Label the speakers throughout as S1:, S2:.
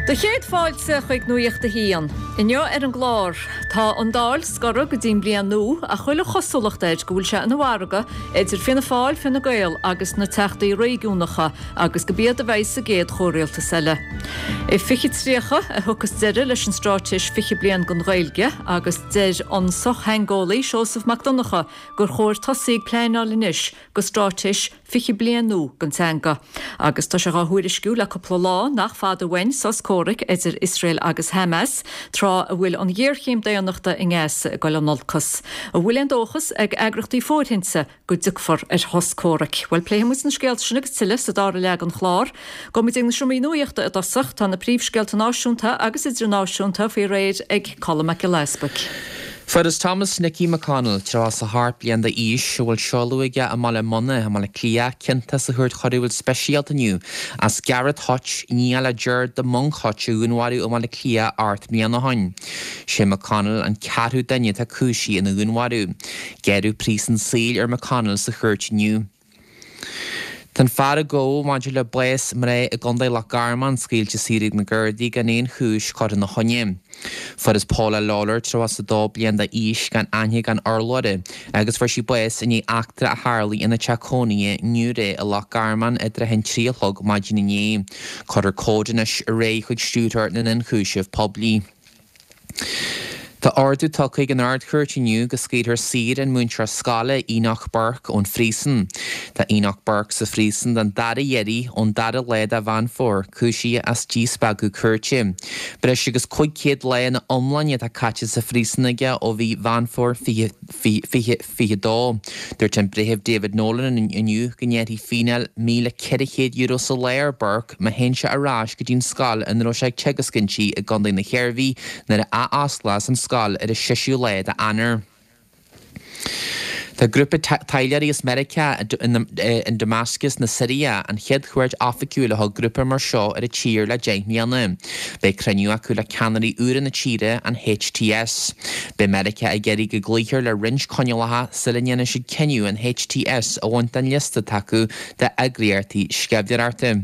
S1: Do chéad fáilte chuig Nuacht a hAon. Inniu ar an gclár, tá an Dáil scortha go dtí an bhliain nua ach chuile chosúlacht air go bhfuil sé ina mhargadh idir Fianna Fáil, Fine Gael agus na Teachtaí Réigiúnacha agus gurb iad a bheidh sa gcéad chomhrialtas eile. I 2030 a thiocfas deireadh leis an Straitéis 20 Bliain don Ghaeilge agus deir an sochtheangeolaí Seosamh Mac Donncha gur chóir tosaí ag pleanáil anois go straitéis 20 bliain nua don teanga. Agus tá sé dhá thuairisciú le cúpla lá nach fada uainn sos comhraic idir Iosrael agus Hamas, tráth a bhfuil an ghéarchéim daonnachta i nGaza ag dul in olcas. An bhfuil aon dóchas ag eagraíochtaí fóirithinte go dtiocfar ar shos comhraic? Bhuel, pléifidh muid na scéalta sin agus tuilleadh sa dara leath den chlár. Gabhfaidh muid ag na seomraí nuachta i dtosach. Tá na príomhscéalta náisiúnta agus idirnáisiúnta faoi réir ag Colm Mac Giolla Easbuic.
S2: Fuarthas Thomas Nicky McConnell, 38 bliain d'aois, a bhfuil seoladh aige i mBaile Munna i mBaile Átha Cliath, ciontach sa Chúirt Choiriúil Speisialta inniu as Gareth Hutch, nia le Gerard 'The Monk' Hutch a dhúnmharú i mBaile Átha Cliath 8 mbliana ó shin. Sé McConnell an ceathrú duine atá cúisithe ina dhúnmharú. Gearradh príosún saoil ar McConnell sa chúirt inniu. Tá an fear a gabhadh maidir le bás mná i gContae Loch Garman scaoilte saor ag na Gardaí gan aon chúis curtha ina choinne. Fuarthas Paula Lawlor, 32 bliain d'aois, gan aithne gan urlabhra agus fuair sí bás i ndiaidh eachtra a tharlaigh ina teach cónaithe i nGiúiré i Loch Garman i dtrátha an 3 a chlog maidin inné. Cuirfear comhad anois ar aghaidh chuig Stiúrthóir na nIonchúiseamh Poiblí. Tá ordú tugtha ag an Ard-Chúirt inniu go scaoilfear saor an múinteoir scoile Enoch Burke ón phríosún. Tá Enoch Burke sa phríosún don dara hiarraidh ón dara lá de Mheán Fómhair, cúisithe as díspeagadh cúirte. Breis agus 500 lá ina iomláine atá caite sa phríosún aige ó mhí Mheán Fómhair 2022. Dúirt an Breitheamh David Nolan inniu go ngearrfaí fíneáil €1,400 sa lá ar Burke má théann sé ar ais go dtí'n scoil ina raibh sé ag teagasc inti i gContae na hIarmhí nuair a ath-osclós an scoil ar an seisiú lá d'Eanáir. Tá grúpa taidhleoirí as Meiriceá in Damascus na Siria, an chéad chuairt oifigiúil a thug grúpa mar seo ar an tír le 10 mbliana. Beidh cruinniú acu le ceannairí úra na tíre, an HTS. Beidh Meiriceá ag iarraidh go gcloífear le roinnt coinníollacha sula ndéanfaidh siad cinneadh an HTS a bhaint den liosta atá acu d'eagraíochtaí sceimhlitheoireachta.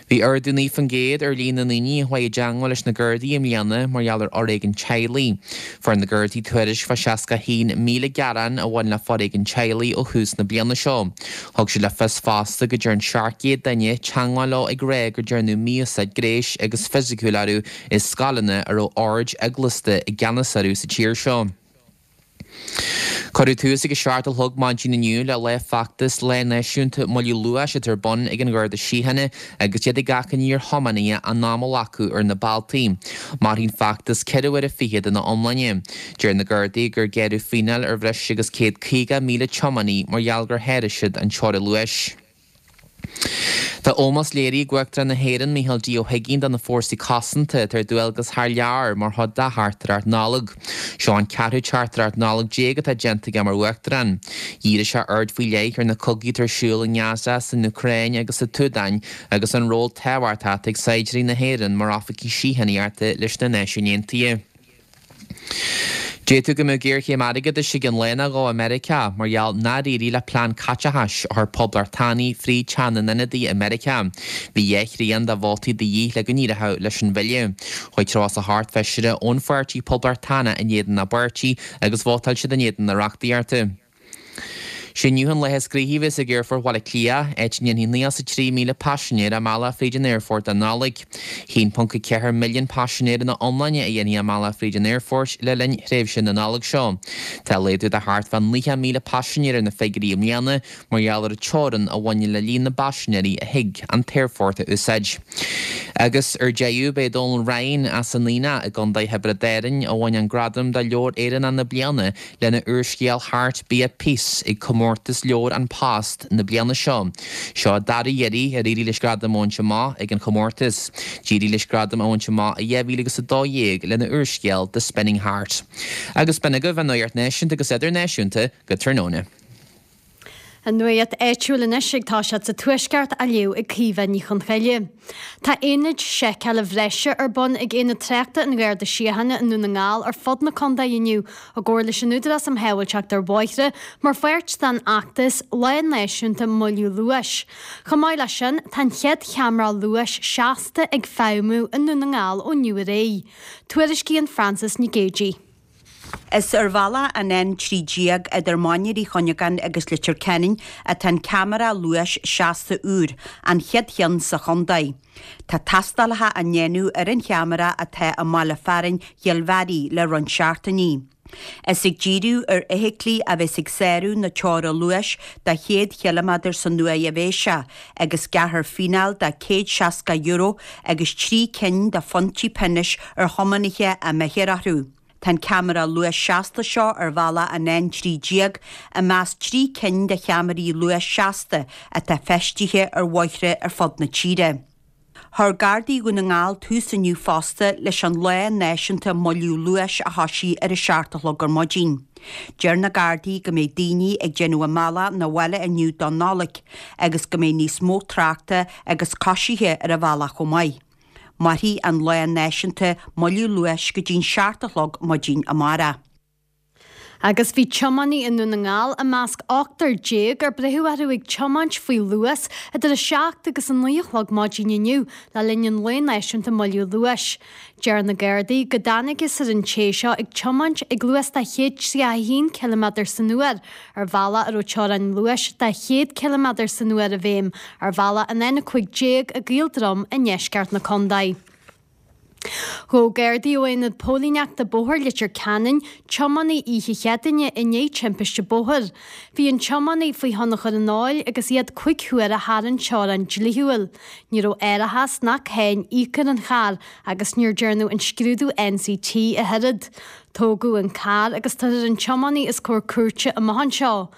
S2: Bhí ardú 9% ar líon na ndaoine a chuaigh i dteangmháil leis na Gardaí i mbliana mar gheall ar fhoréigean teaghlaigh. Fuair na Gardaí tuairisc fá 61,000 gearán a bhain le foréigean teaghlaigh ó thús na bliana seo. Thug siad le fios fosta go dtearn 700 duine teangmháil leo ag rá gur dearnadh mí-úsáid gnéis agus fisiciúil orthu i scoileanna a raibh oird eaglasta i gceannas orthu sa tír seo. Cuireadh tús ag a 7 a chlog maidin inniu le Lá Feachtais Lá Náisiúnta Moilliú Luais atá ar bun ag an Gharda Síochána agus iad ag achainí ar thiománaithe a n-am a ghlacadh ar na bealtaí. Mairfidh an feachtas ceithre uaire fichead ina iomláine. Deir na Gardaí gur gearradh fíneáil ar bhreis agus 150,000 tiománaí mar gheall gur sháraigh siad an teorainn luais. Tá ómós léirithe ag Uachtarán na hÉireann, Micheál D. Ó hUigínn do na fórsaí cosanta atá ar dualgas thar lear mar chuid dá theachtaireacht Nollag. Seo an ceathrú teachtaireacht Nollag atá déanta aige mar Uachtarán. Dhírigh sé aird faoi leith ar na cogaí atá ar siúl i nGaza, san Úcráin agus sa tSúdáin agus an ról tábhachtach atá ag saighdiúirí na hÉireann mar oifigigh síochánaíochta leis na Náisiúin Aontaithe. D'fhéadfadh go mbeadh géarchéim airgeadais i gcionn lá nó dhó i Meiriceá mar gheall nár éirigh le plean caiteachais a chuir Poblachtánaigh fríd Teach na nIonadaithe i Meiriceá. Bhí dhá thrian de vótaí de dhíth le go n-éireodh leis an bhille. Chuaigh 38 feisire ón pháirtí Poblachtánach in éadan a bpáirtí agus vótáil siad in éadan na reachtaíochta. Sé inniu an lá is gnoithí a bheas ag Aerfort Bhaile Átha Cliath, áit a ndéanfaidh 93,000 paisinéir a mbealach fríd an aerfort don Nollaig. 1.4 milliún paisinéir ina iomláine a dhéanfaidh a mbealach fríd an aerfort le linn thréimhse na Nollag seo. Tá laghdú de thart fá 90,000 paisinéir ar na figiúirí i mbliana mar gheall ar an teorainn a bhaineann le líon na bpaisinéirí a thig an t-aerfort a úsáid. Agus ar deireadh, b'é Dónal Ryan as an Aonach i gContae Thiobraid Árann a bhain an gradam do Leabhar Éireannach na Bliana lena úrscéal Heart Be At Peace ag Comórtas Leabhar An Post na bliana seo. Seo an dara hiarraidh ar éirigh leis gradam a bhaint amach ag an chomórtas. D'éirigh leis gradam a bhaint amach i 2012 lena úrscéal The Spinning Heart. Agus b'in agaibh an nuacht náisiúnta agus idirnáisiúnta go tráthnóna.
S3: An nuacht áitiúil anois ag toiseacht sa Tuaisceart á léamh ag Caoimhe Ní Chonchoille. Tá aonaid seiceála bhreise ar bun ag Aonad Tráchta an Gharda Síochána i Ndún na nGall ar fud na contae inniu i gcomhar leis an Údarás um Shábháilteacht ar Bhóithre mar pháirt den fheachtas Lá Náisiúnta Moilliú Luais. Chomh maith leis sin, tá an chéad cheamara luais seasta ag feidhmiú i nDún na nGall ó inniu ar aghaidh. Tuairiscíonn Frances Nic Géadaigh.
S4: Is ar bhealach an N13 idir Mainéar Uí Chuinneagáin agus Leitir Ceanainn atá an ceamara luais seasta úr, an chéad cheann sa chontae. Tá tástálacha á ndéanamh ar an cheamara atá i mbaile fearainn Chill Bhearaigh le roinnt seachtainí. Is ag díriú ar fheithiclí a bheas ag sárú na teora luais de 100 chiliméadar san uair a bheas sé, agus gearrfar fíneáil de €160 agus 3 cinn de phointí pionóis ar thiománaithe a mbeidh thiar orthu. Tá an ceamara luais seasta seo ar bhealach an N13 i measc 3 cinn de cheamaraí luais seasta atá feistithe ar bhóithre ar fud na tíre. Chuir Gardaí Dhún na nGall tús inniu fosta leis an Lá Náisiúnta Moilliú Luais a thosaigh ar a 7 a chlog ar maidin. Deir na Gardaí go mbeidh daoine ag déanamh a mbealach 'na bhaile inniu don Nollaig agus go mbeidh níos mó tráchta agus coisithe ar an bhealach chomh maith. Mairfidh an Lá Náisiúnta Moilliú Luais go dtí'n 7 a chlog maidin amárach.
S3: Agus bhí tiománaí i nDún na nGall i measc ochtar déag ar braitheadh orthu ag tiomáint faoi luas idir 7 agus 9 a chlog maidin inniu le linn an Lae Náisiúnta Moilliú Luais. Deir na Gardaí go dtángthas ar an té seo ag tiomáint ag luas de 131 ciliméadar san uair ar bhealach a raibh teorainn luais de 100 ciliméadar san uair i bhfeidhm ar bhealach an N15 i gCaol Drom i ndeisceart na contae. Ghabh Gardaí ó Aonad Póilíneachta Bóthair Leitir Ceanainn tiománaí oíche Chéadaoine i ndiaidh timpiste bóthair. Bhí an tiománaí faoi thionchar an óil agus iad 5 huaire thar an teorainn dlíthiúil. Ní raibh árachas ná cáin íoctha ar an charr agus níor dearnadh an scrúdú NCT ach oiread. Tógadh an carr agus tabharfar an tiománaí os comhair cúirte amach anseo.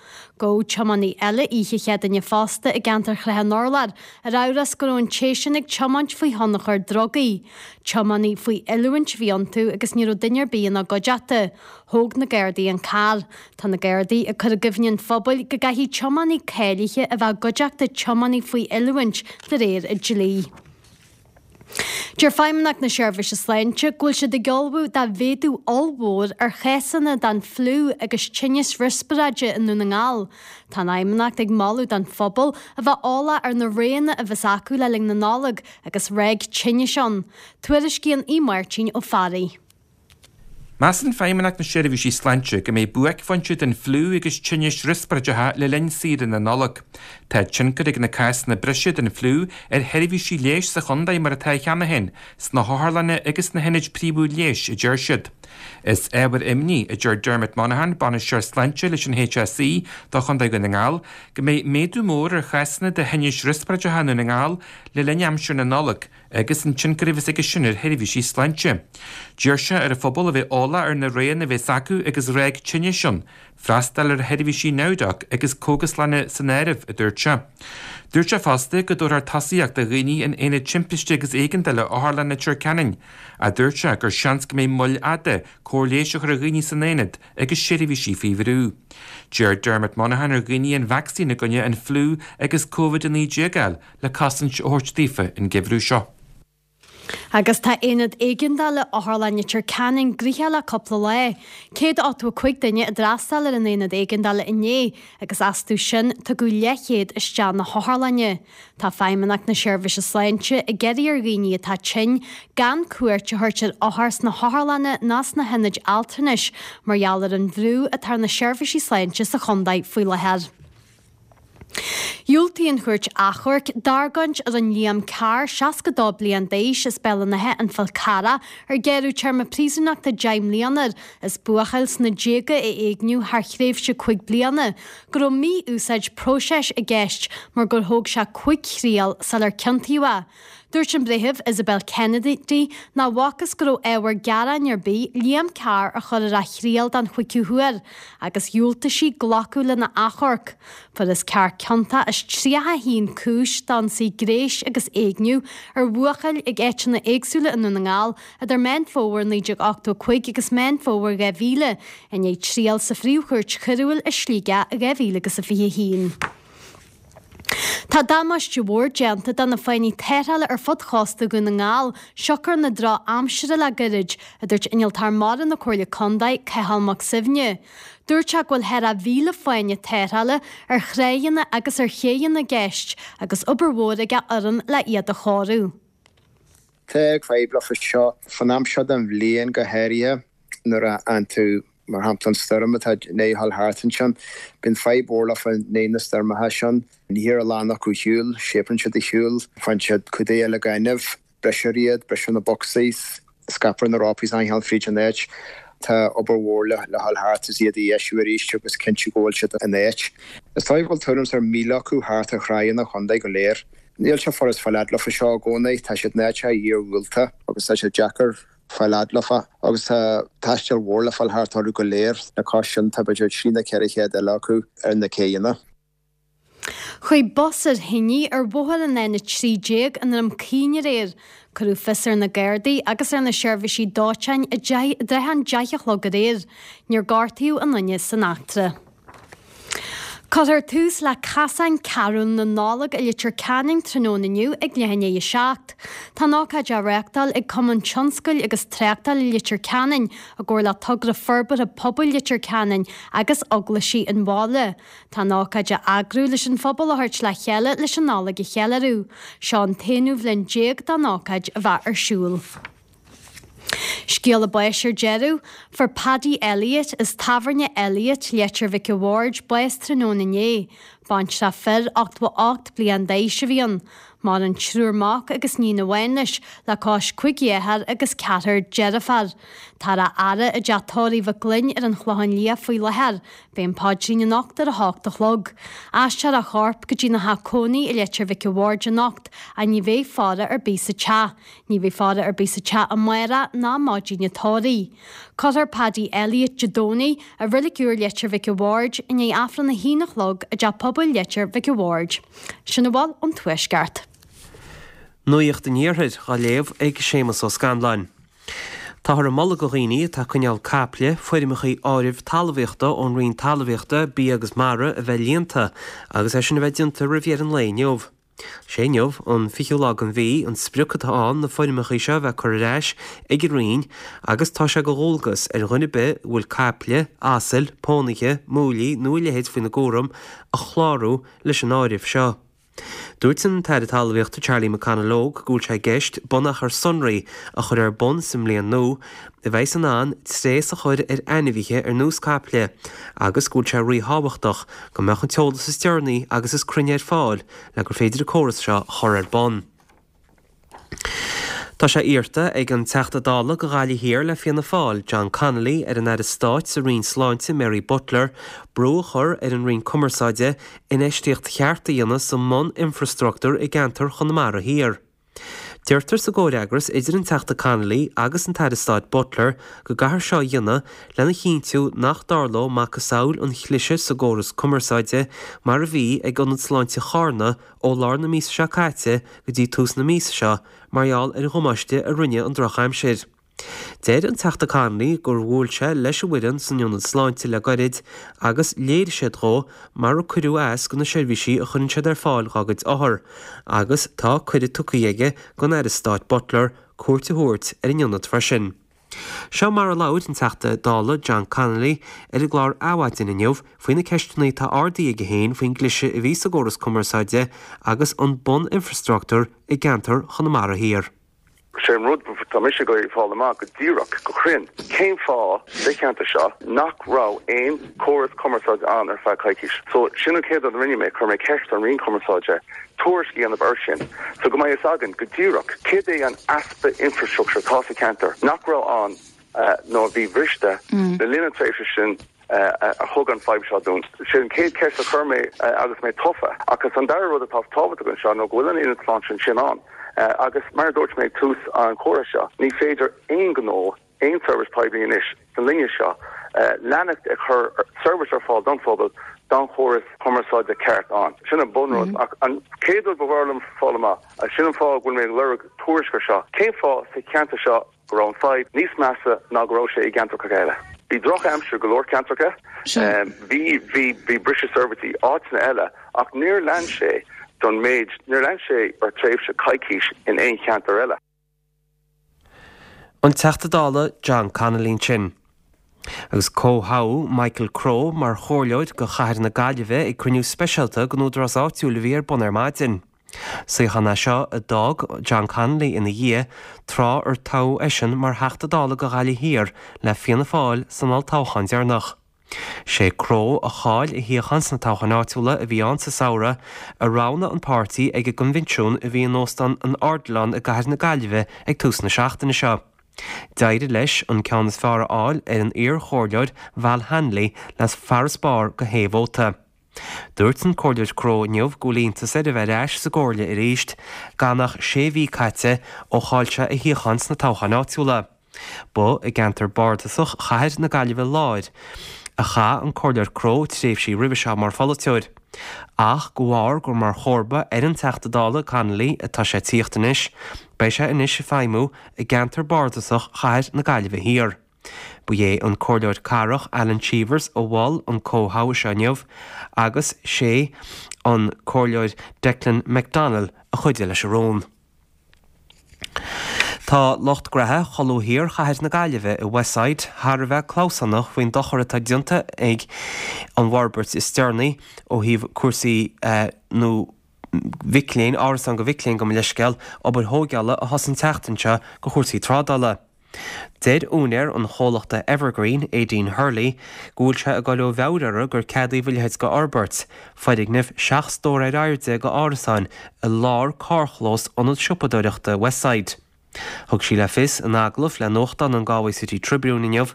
S3: Gabhadh tiománaí eile oíche Chéadaoine fosta i gceantar Shrath an Urláir, ar amhras go raibh an té sin ag tiomáint faoi thionchar drugaí. Tiománaí faoi oiliúint a bhí iontu agus ní raibh duine ar bith ina gcuideachta. Thóg na Gardaí an carr. Tá na Gardaí ag cur i gcuimhne an phobail go gcaithfidh tiománaí cáilithe a bheith i gcuideachta tiománaí faoi oiliúint de réir an dlí. Deir Feidhmeannacht na Seirbhíse Sláinte go bhfuil siad ag ullmhú do mhéadú ollmhór ar chásanna den fliú agus tinnis riospráide i nDún na nGall. Tá an Fheidhmeannacht ag moladh don phobal a bheith eolach ar na roghanna a bheas acu le linn na Nollag agus ráig tinnis ann. Tuairiscíonn Aodh Máirtín Ó Fearraigh.
S5: Measann Feidhmeannacht na Seirbhísí Sláinte go mbeidh buaicphointe den fliú agus tinnis riospráideacha le linn saoire na Nollag. Tá tionchar ag na cásanna breise den fliú ar sheirbhísí leighis sa chontae mar atá cheana féin, sna hotharlanna agus sna hionaid príomhúil leighis, a deir siad. Is ábhar imní, a deir Dermot Monaghan, Bainisteoir Sláinte leis an HSE do Chontae Dhún na nGall, go mbeidh méadú mór ar chásanna de thinnis riospráideacha i nDún na nGall le linn aimsir na Nollag. agus an tionchar a bheas aige sin ar sheirbhísí sláinte. D'iarr sé ar an phobal a bheith eolach ar na roghanna a bheas acu agus ráig tinnis ann, freastal ar sheirbhísí NowDoc agus cógaslanna san áireamh, a dúirt sé. Dúirt sé fosta go dtabharfar tosaíocht do dhaoine in Aonad Timpiste agus Éigeandála Otharlann Leitir Ceanainn, ach dúirt sé gur seans go mbeidh moill fhada cóir leighis a chur ar dhaoine san aonad agus seirbhísí faoi bhrú. D'iarr Dermot Monaghan ar dhaoine an vacsaín i gcoinne an fliú agus Covid-19 a fháil le cosaint a thabhairt daofa an geimhreadh seo.
S3: Agus tá Aonad Éigeandála Otharlann Leitir Ceanainn gnoitheach le cúpla lá. 185 duine a d'fhreastail ar an Aonad Éigeandála inné agus astu sin tugadh leathchéad isteach na hotharlainne. Tá Feidhmeannacht na Seirbhíse Sláinte ag iarraidh ar dhaoine atá tinn gan cuairt a thabhairt ar othair sna hotharlanna ná sna hionaid altranais mar gheall ar an bhrú atá ar na seirbhísí sláinte sa chontae faoi láthair. Dhiúltaigh an Chúirt Achomhairc d'argóint a rinne Liam Carr, 62 bliain d'aois, as Béal an Átha, An Fál Carrach, ar gearradh téarma príosúnachta 10 mbliana air as buachaill sna déaga a éigniú thar thréimhse 5 bliana, go raibh mí-úsáid próiseas i gceist mar gur thóg sé 5 thriail sular ciontaíodh é. Dúirt an Breitheamh Isabel Kennedy nach bhfacthas go raibh ábhar gearáin ar bith Liam Carr a chur ar a thriail den chúigiú huair agus dhiúltaigh sí glacadh lena achomharc. Fuarthas Carr ciontach as 31 cúis d'ionsaí gnéis agus éigniú ar bhuachaill ag áiteanna éagsúla i nDún na nGall idir Meán Fómhair 1985 agus Meán Fómhair 2000 i ndiaidh triail sa Phríomh-Chúirt Choiriúil i Sligeach i 2021. Tá damáiste mhór déanta do na fáinní tarrthála ar fud chósta Dhún na nGall, siocair na drochaimsire le gairid, a dúirt Innealtóir Mara na Comhairle Contae, Cathal Mac Suibhne. Dúirt sé go bhfuil thar a 1,000 fáinne tarrthála ar thráigheanna agus ar chéidheanna i gceist agus obair mhór ag a fhoireann le iad a chóiriú.
S6: Tá fadhb leofa seo fan am seo den bhliain go háirithe nuair a fhaigheann tú, mar shampla, an stoirm atá i ndiaidh a dhul thart ansin. Bíonn fadhb mhór leofa i ndiaidh na stoirmeacha sin. Níthear a lán acu ar shiúl, síobann siad ar shiúl, faigheann siad cúdaithe le gaineamh, brisear iad, brisear na bocsaí, scaipfear na rópaí is achan cheann fríd an áit. Tá obair mhór le dhul thart is iad a dheisiú arís agus cinntiú go bhfuil siad in áit. Is dóigh go bhfuil tuairim is ar 1,000 acu thart ar thráigheanna an chontae go léir. Níl sé furast fáil fhad leofa seo i gcónaí, tá siad in áiteacha iarghúlta agus tá sé deacair fáil fhad leofa agus tá taisteal mhór le fáil thart orthu go léir. Le cois sin tá b'fhéidir 3 nó 400 eile acu ar na céidheanna.
S3: Chuaigh bus ar thine ar bhóthar an N13 i nDroim Caoin aréir. Cuireadh fios ar na Gardaí agus ar na seirbhísí dóiteáin i dtrátha an 10 a chlog aréir. Níor gortaíodh aon duine san eachtra. Cuirfear tús le Casáin Carúil na Nollag i Leitir Ceanainn tráthnóna inniu ag leath i ndiaidh a 7. Tá an ócáid á reáchtáil ag Cumann Tionscail agus Tráchtála Leitir Ceanainn i gcomhar le Togra Forbartha Pobail Leitir Ceanainn agus Eaglaisí an bhaile. Tá an ócáid á eagrú leis an phobal a thabhairt le chéile leis an Nollaig a cheiliúradh. Seo an t-aonú bhliain déag don ócáid a bheith ar siúl. Scéala báis ar deireadh. Fuair Paddy Elliott as Tábhairne Elliott, Leitir Mhic a' Bhaird, bás tráthnóna inné. Baintreach fir 88 bliain d'aois a bhí ann. Maireann triúr mac agus níon amháin leis, le cois cuig dheartháir agus ceathrar deirféar. Táthar á fhaire i dteach tórraimh Mhic Gloinn ar an Chlochán Liath faoi láthair. Beidh an paidrín anocht ar a hocht a chlog. Aistreofar a chorp go dtína theach cónaí i Leitir Mhic a' Bhaird anocht ach ní bheidh faire ar bith sa teach. Ní bheidh faire ar bith sa teach amárach ná maidin an tórraimh. Cuirfear Paddy Elliott Dé Domhnaigh i Reilig Úr Leitir Mhic a' Bhaird i ndiaidh Aifreann a haon a chlog i dTeach Pobail Leitir Mhic a' Bhaird. Sin a bhfuil ón Tuaisceart.
S7: Nuacht an Iarthair á léamh ag Séamus Ó Scanláin. Táthar ag moladh do dhaoine atá ag coinneáil caiple, foirmeacha áirimh talmhaíochta ón Roinn Talmhaíochta, Bia agus Mara a bheith líonta agus é sin a bheith déanta roimh dheireadh an lae inniu. Sé inniu, an fichiú lá den mhí, an sprioc atá ann na foirmeacha seo a bheith curtha ar ais ag an Roinn agus tá sé de dhualgas ar dhuine ar bith a bhfuil caiple, asail, pónaithe, múillí nó a leithéid faoina gcúram a chlárú leis an áireamh seo. Dúirt an tAire Talmhaíochta Charlie McConalogue go bhfuil sé i gceist bunachar sonraí a chur ar bun sa mbliain nua a bheidhs in ann tréas a chur ar ainmhithe ar nós caiple agus go bhfuil sé ríthábhachtach go mbeadh an t-eolas is deireanaí agus is cruinne ar fáil le gur féidir an córas seo a chur ar bun. Tá sé iarrta ag an Teachta Dála do Ghaillimh Thiar le Fianna Fáil, John Connolly, ar an Aire Stáit sa Roinn Sláinte, Mary Butler, brú a chur ar an Roinn Cumarsáide infheistíocht cheart a dhéanamh sa mbun-infreastruchtúr i gceantar Chonamara Thiar. Deirtear sa gcomhfhreagras idir an Teachta Connolly agus an tAire Stáit Butler go gcaithfear seo a dhéanamh lena chinntiú nach dtarlódh macasamhail an chliseadh sa gcóras cumarsáide mar a bhí ag Ionad Sláinte Charna ó lár na míosa seo caite go dtí tús na míosa seo mar gheall ar dhamáiste a rinne an drochaimsir. Deir an Teachta Connolly gur bhuail sé leis an bhfoireann san Ionad Sláinte le gairid agus léirigh siad dhó mar a cuireadh as do na seirbhísí a chuireann siad ar fáil dhá gcuid othar agus tá cuireadh tugtha aige don Aire Stáit Butler cuairt a thabhairt ar an ionad freisin. Seo mar a labhair an Teachta Dála John Connolly ar an gclár Adhmhaidin inniu faoi na ceisteanna atá ardaithe aige féin faoin gcliseadh a bhí sa gcóras cumarsáide agus an bun-infreastruchtúr i gceantar Chonamara Thiar.
S8: Sé an rud tá mise ag iarraidh fáil amach go díreach, go cruinn, cén fáth sa cheantar seo nach raibh aon chóras cumarsáide ann ar feadh coicís. So, sin an chéad rud a rinne mé, chuir mé ceist ar an Roinn Cumarsáide tuairisc a dhéanamh air sin so go mbeidh fhios againn go díreach céard é an easpa infrastructure atá sa cheantar nach raibh ann nó a bhí briste le linn na tréimhse sin. a thug an fadhb seo dúinn. Sin an chéad cheist a chuir mé agus mé tofa. Agus an dara rud atá tábhachtach anseo nó go bhfuil an ionad sláinte ansin ann. Agus mar a dúirt mé ag tús an chomhrá seo, ní féidir aon ghnó, aon seirbhís poiblí anois sa linne seo leanacht ag cur seirbhís ar fáil don phobal gan chóras cumarsáide ceart ann. Sin an bunrud. Ach an chéad rud ba mhaith liom fáil amach, agus sin an fáth go bhfuil mé ag lorg tuairisc ar seo, cén fáth sa cheantar seo go raibh an fadhb níos measa ná go raibh sé i gceantracha eile. Bhí drochaimsir go leor ceantracha, bhí, bhí, bhí briseadh seirbhísí áiteanna eile ach níor lean sé. don méid, níor lean sé ar tréimhse coicís in aon cheantar eile.
S7: An Teachta Dála John Connolly ansin. Agus comhthoghadh Michael Crowe mar chomhairleoir do chathair na Gaillimhe ag cruinniú speisialta den údarás áitiúil a bhí ar bun ar maidin. Suíochán é seo a d'fhág John Connolly ina dhiaidh, tráth ar toghadh eisean mar Theachta Dála do Ghaillimh Thiar le Fianna Fáil san olltoghchán deireanach. Sé Crowe, a chaill a shuíochán sna toghcháin áitiúla a bhí ann sa samhradh, a roghnaigh an páirtí ag an gcoinbhinsiún a bhí in Óstán an Ardilaun i gcathair na Gaillimhe ag tús na seachtaine seo. D'éirigh leis an ceann is fearr a fháil ar an iar-chomhairleoir Val Hanley le farasbarr de shé vóta. Dúirt an Comhairleoir Crowe inniu go bhfuil iontas air a bheith ar ais sa gcomhairle arís, gan ach sé mhí caite ó chaill sé a shuíochán sna toghcháin áitiúla. Ba i gceantar bardasach Chathair na Gaillimhe Láir a chaith an Comhairleoir Crowe tréimhsí roimhe seo mar pholaiteoir. Ach de bharr gur mar chomharba ar an Teachta Dála Connolly atá sé ag tíocht anois, beidh sé anois ag feidhmiú i gceantar bardasach Chathair na Gaillimhe Thiar. Ba é an Comhairleoir Cathrach Alan Cheevers a mhol an comhthoghadh seo inniu agus sé an Comhairleoir Declan McDonnell a chuidigh leis an rún. Tá lucht graithe cholbha thiar chathair na Gaillimhe i Westside thar a bheith clamhsánach faoin dochar atá déanta ag an bhforbairt is deireanaí ó thaobh cúrsaí nó mhic léinn, árasán do mhic léinn gabh mo leithscéal, obair thóigeála a thosaigh an tseachtain seo do chúrsaí trádála. Deir úinéir an chomhlachta Evergreen, Aideen Hurley, go bhfuil sé ag dul ó mheabhair orthu gur ceadaíodh a leithéid de fhorbairt, foirgneamh 17 stór ar airde de árasáin i lár carrchlós ionad siopadóireachta Westside. Thug sí le fios in agallamh le nuachtán an Galway City Tribune inniu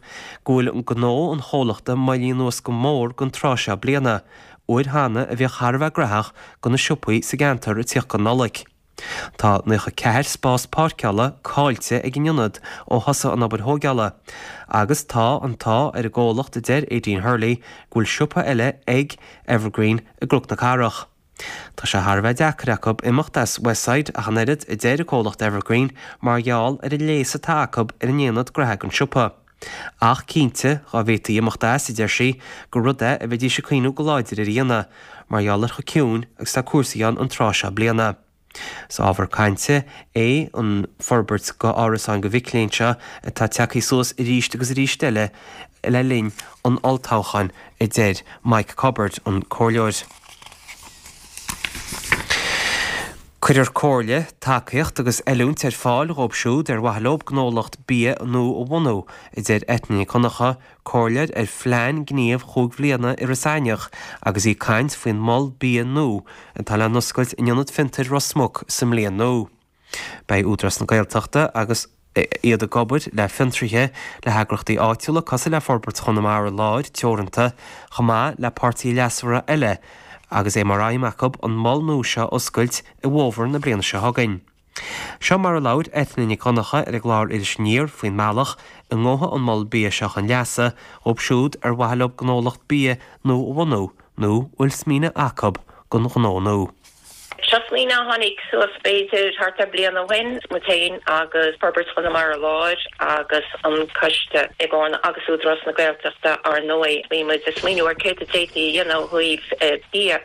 S7: go bhfuil gnó an chomhlachta moillithe anuas go mór don tráth seo bliana, uair cheana a bhíodh thar a bheith graitheach do na siopaí sa gceantar ag tíocht don Nollaig. Tá 94 spás páirceála caillte ag an ionad ó thosaigh an obair thóigeála, agus tá an t-ádh ar an gcomhlacht a deir Aideen Hurley go bhfuil siopa eile ag Evergreen i gCnoc na Cathrach. Tá sé thar a bheith deacair acu imeacht as Westside ach an oiread, a deir an comhlacht Evergreen, mar gheall ar an léas atá acu ar an aonad graithe don siopa. Ach cinnte, dhá bhféadfaí imeacht as, a deir sí, gur rud é a bheidís ag cuimhniú go láidir ar a dhéanamh, mar gheall ar chomh ciúin agus tá cúrsaí ann an tráth seo bliana. Is ábhar cainte é an forbairt go árasáin do mhic léinn seo atá tagtha suas arís agus arís eile le linn an olltoghcháin, a deir Mike Cubbard, an comhairleoir. Cuirfear comhairle, tacaíocht agus oiliúint ar fáil dhóibh siúd ar mhaithe leo gnólacht bia nua a bhunú, a deir Eithne Nic Dhonncha, comhairleoir ar phlean gnímh chúig bhliana Iorras Aithneach agus í ag caint faoin mol bia nua atá le n-oscailt in Ionad Fiontair Ros Muc sa mbliain nua. Beidh Údarás na Gaeltachta agus iad ag obair le fiontraithe, le heagraíochtaí áitiúla cosúil le Forbairt Chonamara Láir Teoranta, chomh maith le páirtithe leasmhara eile agus é mar aidhm acu an mol nua seo a oscailt i bhfómhar na bliana seo chugainn. Seo mar a labhair Eithne Nic Dhonncha ar an gclár Iris Aniar faoin mbealach a ngabhfaidh an mol bia seo chun leasa dhóibh siúd ar mhaithe leo gnólacht bia nua a bhunú nó a bhfuil smaoineamh acu don ghnó nua.
S9: Seo smaoineamh a tháinig suas b'fhéidir thart ar bliain ó shin, muid féin agus Forbairt Chonamara Láir agus an Coiste i gCarna agus Údarás na Gaeltachta ár ndóigh. Bhí muid ag smaoineamh ar céard a d'fhéadfaí a dhéanamh ó thaobh bia.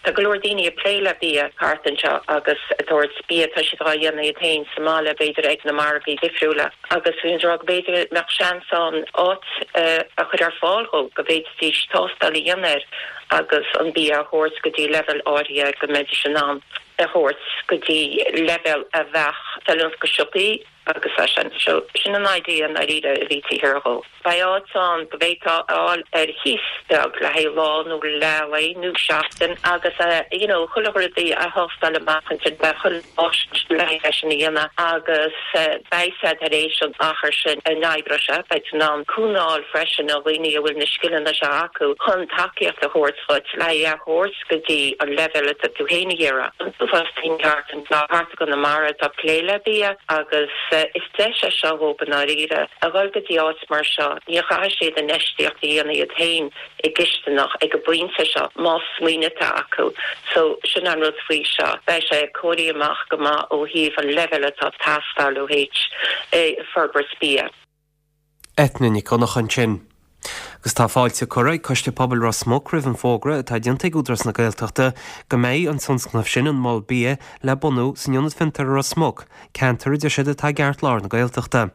S9: Tá go leor daoine ag plé le bia thart anseo agus ag tabhairt bia, tá siad á dhéanamh iad féin sa mbaile b'fhéidir ag na margaí difriúla agus bhí muid ag rá go b'fhéidir mbeadh seans ann áit a chur ar fáil dhóibh go bhféadfaidís tástáil a dhéanamh air. agus an bia a thabhairt go dtí leibhéal áirithe go mbeidís in ann é a thabhairt go dtí leibhéal a bheadh feiliúnach go siopaí agus é sin. So sin an idea i ndáiríre a bhí taobh thiar dhó. Beidh áit ann go bhféadfá a fháil ar chíos beag le haghaidh lá nó leath lae nó seachtain agus you know chuile rud a thástáil amach ansin beidh chuile áis le haghaidh é sin a dhéanamh agus beidh siad tar éis an achar sin a n-oibreoidh sé, beidh tú in ann cúnamh a fháil freisin ó dhaoine a bhfuil na scileanna seo acu chun tacaíocht a thabhairt dhuit le é a thabhairt go dtí an leibhéal atá tú féin ag iarraidh. An uafás daoine thart anseo, thart i gConamara atá ag plé le bia agus is deis é seo dhóibh i ndáiríre a dhul go dtí áit mar seo. Ní chaithfidh siad infheistíocht a dhéanamh iad féin i gcisteanach ag an bpointe seo, más smaoineamh atá acu. So, sin an rud faoi seo. Beidh sé cóirithe amach go maith ó thaobh an leibhéal atá ag teastáil ó thaobh forbairt bia.
S7: Eithne Nic Dhonncha ansin. Agus tá fáilte curtha ag Coiste Pobail Ros Muc roimh an bhfógra atá déanta ag Údarás na Gaeltachta go mbeidh an tionscnamh sin, an Mol Bia, le bunú san Ionad Fiontair i Ros Muc, ceantar a deir siad atá i gceartlár na Gaeltachta.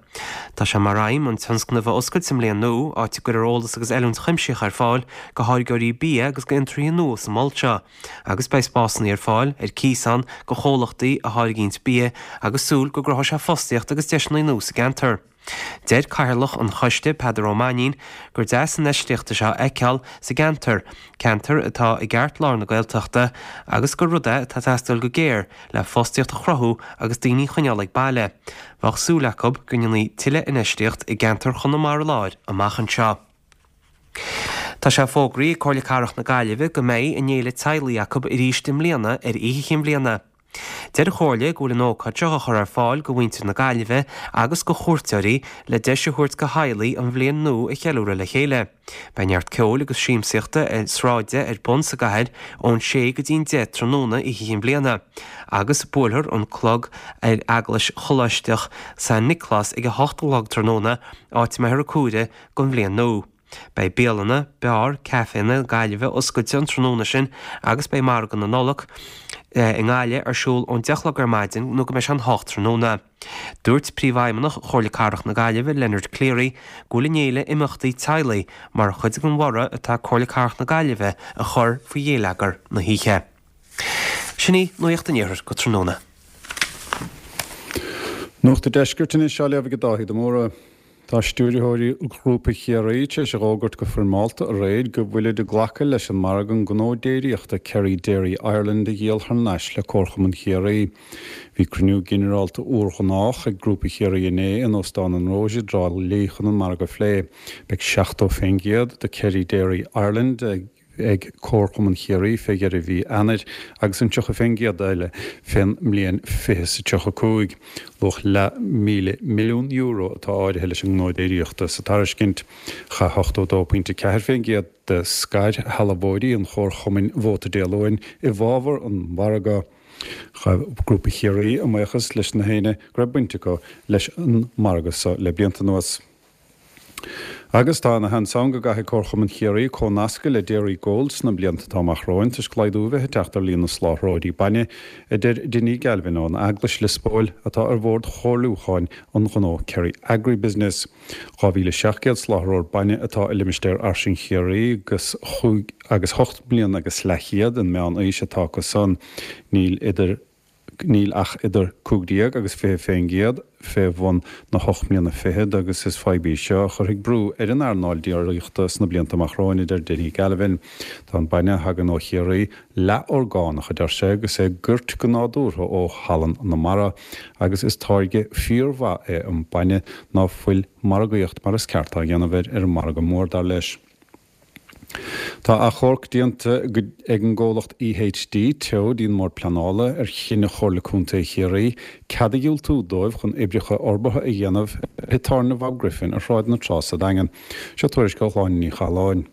S7: Tá sé mar aidhm an tionscnamh a oscailt sa mbliain nua, áit a gcuirfear eolas agus oiliúint chuimsitheach ar fáil go tháirgeoirí bia agus go fhiontraithe nua sa mol seo, agus beidh spásanna ar fáil ar cíos ann go chomhlachtaí a tháirgíonns bia agus súil go gcruthóidh sé fostaíocht agus deiseanna nua sa gceantar. Deir Cathaoirleach an choiste, Peadar Ó Mainnín, gur deas an infheistíocht seo a fheiceáil sa gceantar, ceantar atá i gceartlár na Gaeltachta, agus gur rud é atá ag teastáil go géar le fostaíocht a chruthú agus daoine a choinneáil ag baile. Bheadh súil acu go ndéanfaí tuilleadh infheistíocht i gceantar Chonamara Láir amach anseo. Tá sé fógraithe ag Comhairle Cathrach na Gaillimhe go mbeidh a n-fhéile teaghlaigh acu arís i mbliana ar Oíche Chinn Bhliana. Deir an Chomhairle go bhfuil an ócáid seo á chur ar fáil go mhuintir na Gaillimhe agus go chuairteoirí le deis a thabhairt go theaghlaigh an bhliain nua a cheiliúradh le chéile. Beidh neart ceoil agus siamsaíochta sráide ar bun sa gcathair ón sé go dtí an 10 tráthnóna Oíche Chinn Bhliana agus buailfear an clog ar Eaglais Choláisteach San Nioclás ag a hocht a chlog tráthnóna áit a mbeifear ag comhaireamh don bhliain nua. Beidh bialanna, beáir, caiféanna na Gaillimhe oscailte an tráthnóna sin agus beidh Margadh na Nollag i nGaillimh ar siúl ón 10 a chlog ar maidin nó go mbeidh sé an 8 tráthnóna. Dúirt Príomhfheidhmeannach Chomhairle Cathrach na Gaillimhe, Leonard Cleary, go bhfuil an fhéile imeachtaí teaghlaigh mar chuid den bhorradh atá Comhairle Cathrach na Gaillimhe a chur faoi ghéilleagar na hoíche. Sin í Nuacht an Iarthair go tráthnóna.
S10: Nuacht an Deiscirt anois á léamh ag Dáithí de Mórdha. Tá stiúrthóirí Ghrúpa Chiarraí tar éis a dh'fhógairt go foirmeálta aréir go bhfuilid ag glacadh leis an margadh an gnó déiríochta Kerry Dairy Ireland a dhíol thar n-ais le Comharchumann Chiarraí. Bhí cruinniú ginearálta úrghnách ag Grúpa Chiarraí inné in Óstán an Rose i dTrá Lí chun an margadh a phlé. Beidh 70% de Kerry Dairy Ireland ag. ag Comharchumann Chiarraí fé dheireadh mhí Eanáir agus an 30% eile fén mbliain 2035. Luach leathmhíle milliún euro atá áirithe leis an ngnó déiríochta sa tairiscint. Chaith 82.4% de scairshealbhóirí an Chomharchumainn vóta Dé Luain i bhfabhar an mhargaidh. Ghabh Grúpa Chiarraí a mbuíochas leis na héinne go raibh baint acu leis an margadh so le blianta anuas. Agus tá ana sheans ann go gcaithfidh Comharchumann Chiarraí comhnascadh le Dairygold sna blianta atá amach romhainn toisc laghdú a bheith ag teacht ar líon na soláthróirí bainne, a deir Dinny Galvin ón Eaglais, Lios Póil, atá ar bhord chomhairliúcháin an ghnó Kerry Agribusiness. 2,700 soláthróir bainne atá i limistéar fhairsing Chiarraí agus agus hocht mbliana agus leathchéad an meán aois atá acu san. Níl idir. Níl ach idir 15 agus 20% fé bhun na hocht mbliana fichead agus is fadhb í seo a chuirfidh brú ar an earnáil déiríochta sna blianta amach romhainn, a deir Dinny Galvin. Tá an bainne a thagann ó Chiarraí leath-orgánach, a deir sé, agus é goirte go nádúrtha ó shalann na mara agus is táirge fíormhaith é an bainne ná fuil margaíocht mar is ceart á dhéanamh air ar an margadh mór, dar leis. Tá achomharc déanta ag an gcomhlacht EHD Teo dtí an mBord Pleanála ar chinneadh Chomhairle Contae Chiarraí cead a dhiúltú dóibh chun oibreacha forbartha a dhéanamh ar thigh tábhairne Bhob Griffin ar Shráid na Trá sa Daingean. Seo tuairisc ó Shláine Ní Chathalláin.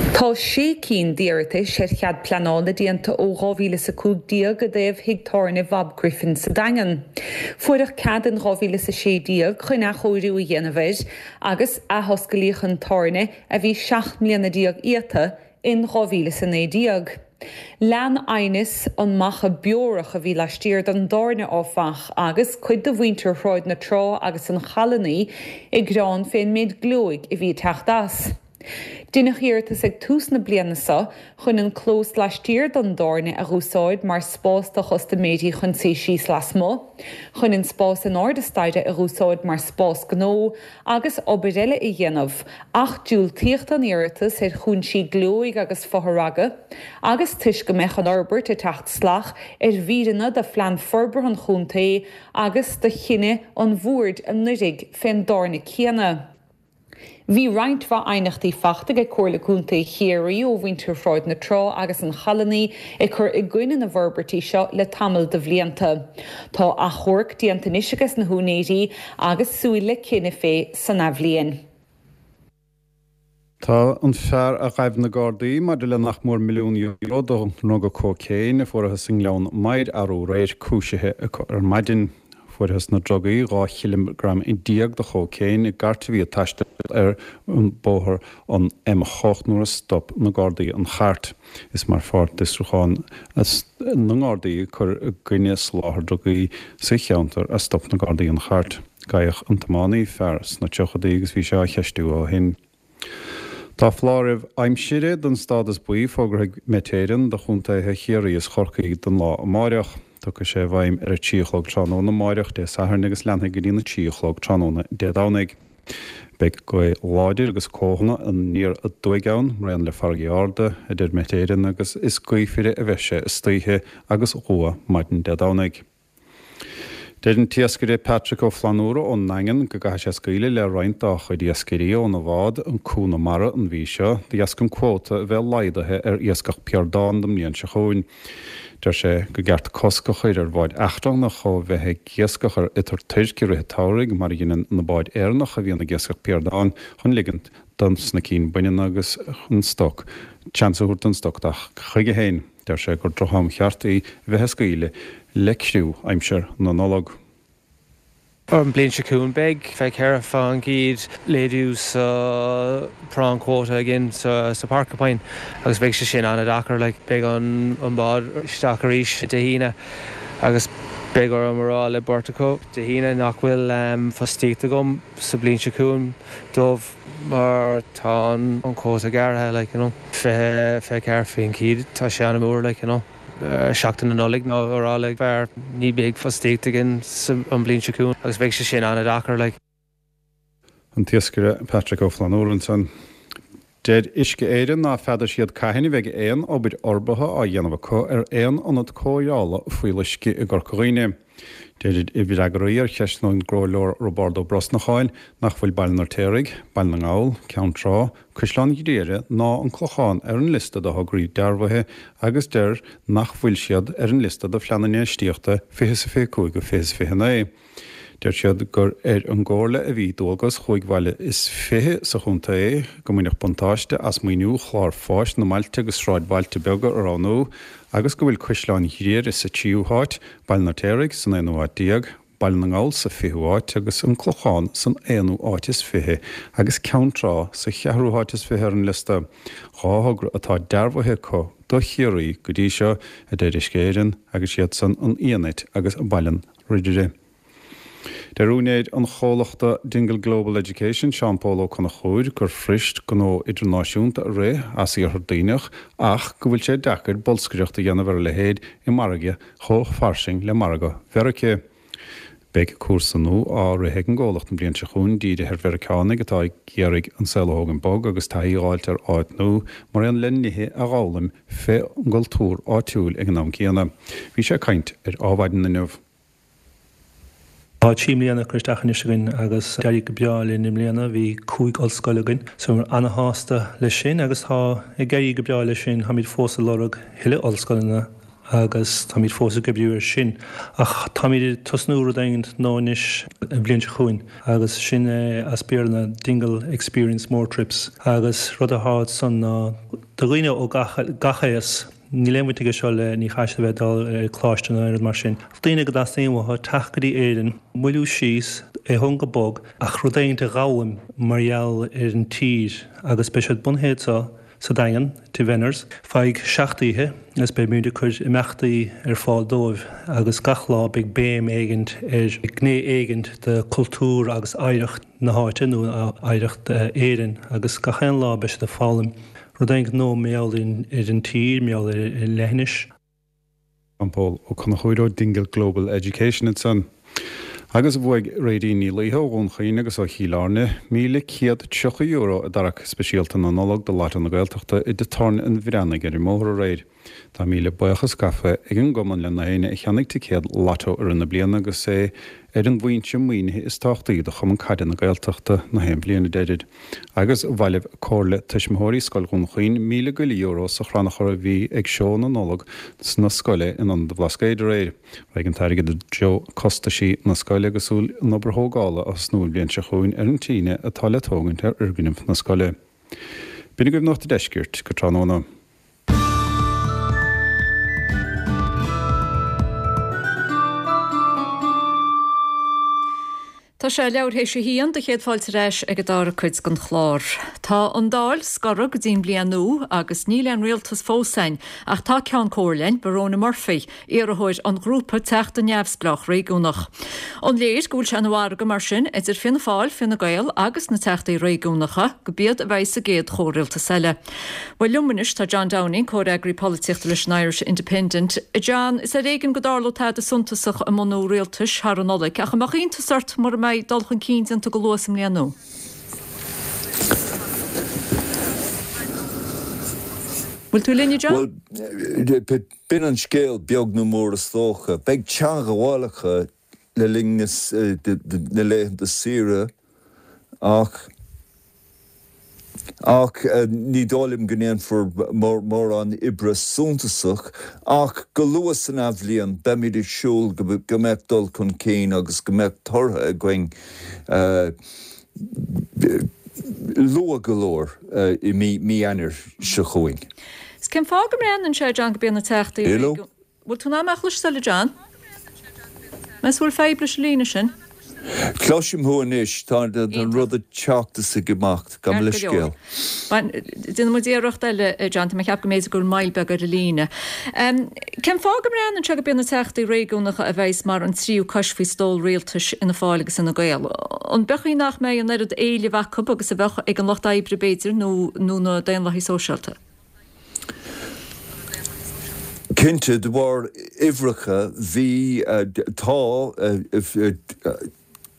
S11: Tá sé cinn d'iarratais ar chead pleanála déanta ó 2015 i dtaobh thigh tábhairne Bhob Griffin sa Daingean. Fuaireadh cead in 2016 chun athchóiriú a dhéanamh air agus athosclaíodh an tábhairne, a bhí 17 mbliana iata, in 2019. Lean aighneas an macha beorach a bhí laistiar den dtábhairne áfach, agus cuid de mhuintir Shráid na Trá agus an Challannaigh ag gearán fén méid glóig a bhí ag teacht as. Deineadh iarratas ag tús na bliana seo chun an clós laistiar den dtábhairne a dh'úsáid mar spás do chustaiméirí chun suí síos lasmuigh, chun an spás in airde staighre a dh'úsáid mar spás gnó agus obair eile a dhéanamh, ach diúltaíodh don iarratas ar chúinsí glóig agus fothragadh, agus toisc go mbeadh an fhorbairt ag teacht salach ar mhíreanna de Phlean Forbartha an Chontae agus de chinneadh an Bhoird anuraidh fén dtábhairne céanna. Bhí roinnt mhaith aighneachtaí fachta ag Comhairle Contae Chiarraí ó mhuintir Shráid na Trá agus an Challannaigh ag cur i gcoinne na bhforbairtí seo le tamall de bhlianta. Tá achomharc déanta anois ages na húinéirí agus súil le cinneadh fé san athbhliain.
S10: Tá an fear a ghaibh na Gardaí maidir le nach mór €1 milliún de dhruga cócaon a fuarathas i nGleann Maghair arú aréir cúisithe acu ar maidin. Fuarthas na drugaí, 12 chileagram de chócaon, i gcairt a bhí ag taisteal ar an bóthar an M8 nuair a stop na Gardaí an chairt. Is mar pháirt d'fhiosrúchán na nGardaí ag cur i gcoinne soláthar drugaí sa cheantar a stop na Gardaí an chairt. Gabhadh an tiománaí, fear sna tríochadaí, agus bhí sé á cheistiú ó shin. Tá foláireamh aimsire den stádas buí fógartha ag Met Éireann do chontaetha Chiarraí is Chorcaí don lá amáireach. Tiocfaidh sé i bhfeidhm ar a 3 a chlog tráthnóna amáireach, Dé Sathairn, agus leanfaidh go dtí'n 3 a chlog tráthnóna Dé Domhnaigh. Beidh gaoth láidir agus cóthanna aniar aduaidh ann, mar aon le farraigí arda, a deir Met Éireann, agus is gaofaire a bheidh sé istoíche agus dhua maidin Dé Domhnaigh. Deir an t-iascaire Patrick Ó Flannúra ón nDaingean go gcaithfidh sé scaoileadh le roinnt dá chuid iascairí óna bhád, an Cú na Mara, an mhí seo, de dheasca an cuóta a bheith laghdaithe ar iascach piardán don mbliain seo chugainn. Deir sé go gceart cosc a chur ar bháid eachtrannach ó bheith ag iascach ar iotar toirc i rith an tsamhraidh, mar a dheineann na báid Éireannacha a bhíonn ag iascach piardán, chun ligint dos na cinn baineanna agus an stoc seans a thabhairt don stoc teacht chuige féin. Deir sé gur droch-am cheart í a bheith ag scaoileadh le criú aimsir na Nollag.
S12: An bliain seo chugainn beidh 24% laghdú sa prawn quota againn sa Porcupine agus beidh sé sin an-deacair. Like, beidh an bád isteach arís Dé hAoine agus beidh orm a rá le beirt acu Dé hAoine nach bhfuil fostaíocht agam sa bliain seo chugainn dóibh. mar tá an quota gearrtha like you know 24% tá sé an-mhór like you know seachtain na Nollag nó a rá le fear ní bheidh fostaíocht againn sa an bliain seo chugainn agus beidh sé sin an-deacair like.
S10: An t-iascaire Patrick Ó Flannúra ansan. Deir Uisce Éireann ná feadar siad cathain a bheidh aon obair fhorbartha á dhéanamh acu ar aon ionad cóireála fuíolluisce i gCorca Dhuibhne. Deirid i bhfreagraí ar cheisteanna ón gComhairleoir Roibeárd Ó Brosnacháin nach bhfuil Baile an Fheirtéaraigh, Baile na nGall, Ceann Trá, Caisleán Ghriaire ná an Clochán ar an liosta de thograí dearbhaithe agus deir nach bhfuil siad ar an liosta do Phlean Infheistíochta 2025 go 2029. Deir siad gur ar an gComhairle a bhí dualgas chúig bhaile is fiche sa chontae go mbainfeadh buntáiste as maoiniú chlár fáis na mbailte agus sráidbhailte beaga a roghnú agus go bhfuil Caisleán Ghriaire sa tríú háit, Baile an Fheirtéaraigh san aonú háit déag, Baile na nGall sa fichiú háit agus an Clochán san aonú háit is fiche agus Ceann Trá sa cheathrú háit is fiche ar an liosta. Dhá thogra atá dearbhaithe acu do Chiarraí go dtí seo, a deir Uisce Éireann, agus iad san An Fhianait agus Baile an Ridire. Deir úinéir an chomhlachta Dingle Global Education, Seán Pól Ó Conchúir, gur fuirist gnó idirnáisiúnta a rith as Iarthar Duibhneach ach go bhfuil sé deacair bolscaireacht a dhéanamh ar a leithéid i margadh chomh fairsing le margadh Mheiriceá. Beidh cúrsa nua á rith ag an gcomhlacht an bhliain seo chugainn dírithe ar Mheiriceánaigh atá ag iarraidh an saol a thógaint bog agus taithí a dh'fháilt ar áit nua mar aon le nithe a dh'fhoghlaim fé an gcultúr áitiúil ag an am céanna. Bhí sé ag caint ar Ádhmhaidin inniu.
S13: Tá 3 mbliana curtha isteach anois againn agus d'éirigh go breá linn i mbliana. Bhí 5 ollscoil againn so bhíomar ana-shásta leis sin agus tá ag éirí go breá leis sin. Táimid fós ag lorg thuilleadh ollscoileanna agus táimid fós ag oibriú air sin. Ach táimid ag tosnú rud éigint nua anois an bhliain seo chugainn agus sin é as Béarla ná Dingle Experience More Trips agus rud atá ansan ná do dhaoine ó gach gach aos, Níl aon bhaint aige seo le ní chaithfidh siad a bheith ag dul ar coláiste nó aon rud mar sin. Daoine go dteastaíonn uathu teacht go dtí Éirinn, moilliú síos, é a thógaint go bog, ach rud éigint a dh'fhoghlaim mar gheall ar an tír agus beidh siad bunaithe anseo sa Daingean, Tigh Venners, feadh 7 oíche agus beidh muid ag cur imeachtaí ar fáil dóibh agus gach lá beidh béim éigint ar gné éigint de cultúr agus oidhreacht na háite nó oidhreacht Éireann agus gach aon lá beidh siad ag foghlaim Rud éigint nua mar gheall ar an tír, mar gheall ar an leithinis.
S10: Seán Pól Ó Conchúir ó Dingle Global Education ansan. Agus bhuaigh Réidín Ní Laoithe ó Dhún Chaoin agus ó Chill Airne €1,130 i dtarrac speisialta na Nollag do Lotto na Gaeltachta i dTigh Tábhairne an Bhreathnaigh ar an mbóthar aréir. Tá míle buíochas gafa ag an gcumann le na héinne a cheannaigh ticéad Lotto i rith na bliana agus é ar an bhfoinse maoinithe is tábhachtaí do Chumann Caide na Gaeltachta na haon bhliain, a deirid. Agus bhailigh Comhairle Tuismitheoirí Scoil Dhún Chaoin míle go leith euro sa chrannchur a bhí ag Seó na Nollag na scoile in Ionad an Bhlascaoid aréir. Raghaidh an t-airgead i dtreo costaisí na scoile agus súil an obair thógála a thosnú an bhliain seo chugainn ar an tine atá le tógaint ar fhoirgneamh na scoile. B'in agaibh Nuacht an Deiscirt go tráthnóna.
S1: Tá sé leathuair théis a haon, do chéad fáilte ar ais ag an dara cuid den chlár. Tá an Dáil scortha go dtí'n mbliain nua agus níl aon rialtas fós againn, ach tá Ceann Comhairle againn, Barona Murphy, iarrthóir an ghrúpa Teachta Neamhspleách Réigiúnach. An léir go bhfuil sé ina mhargadh mar sin idir Fianna Fáil, Fine Gael agus na Teachtaí Réigiúnacha go b'iad a bheidh sa gcéad chomhrialtas eile? Bhuel, liom anois tá John Downing, comhfhreagraí polaitíochta leis an Irish Independent. A John, is ar éigean go dtarlódh tada suntasach i mbunú rialtais thar an Nollaig, ach an mbeadh iontas ort mura mbeidh dul chun cinn déanta go luath sa mbliain nua? Bhfuil tú linn, a John?
S14: Bhuel, b'in an scéal, beag nó mór is dócha. Beidh teangmhálacha le linn na laethanta saoire ach ach ní dóigh liom go ndéanfar mórán oibre suntasach ach go luath san athbhliain beimid ag siúl go mbeadh dul chun cinn agus go mbeadh tortha againn luath go leor i mí Eanáir seo chugainn.
S1: Cén fáth go mbreathnaíonn sé, John, go b'iad na Teachtaí Bhfuil tú in ann mé a chloisteáil, a John? Meas tú bhfuil fadhb leis an líne sin?
S14: Cloisim thú anois. Tá an rud ag teacht is ag imeacht. Gabh mo leithscéal.
S1: Déanfaidh muid iarracht eile, a John. Tá mé ag ceapadh go mb'fhéidir go bhfuil moill beag ar an líne. Cén fáth go mbreathnaíonn sé go b'iad na teachtaí réigiúnacha a bheas mar an tríú cois faoi stól rialtais Fhianna Fáil agus Fhine Gael? An b'é an chaoi nach mbeidh an oiread éilimh acu agus a bheadh ag an Lucht Oibre b'fhéidir nó na Daonlathaigh Sóisialta?
S14: Cinnte, de bharr uimhreacha, bhí, tá,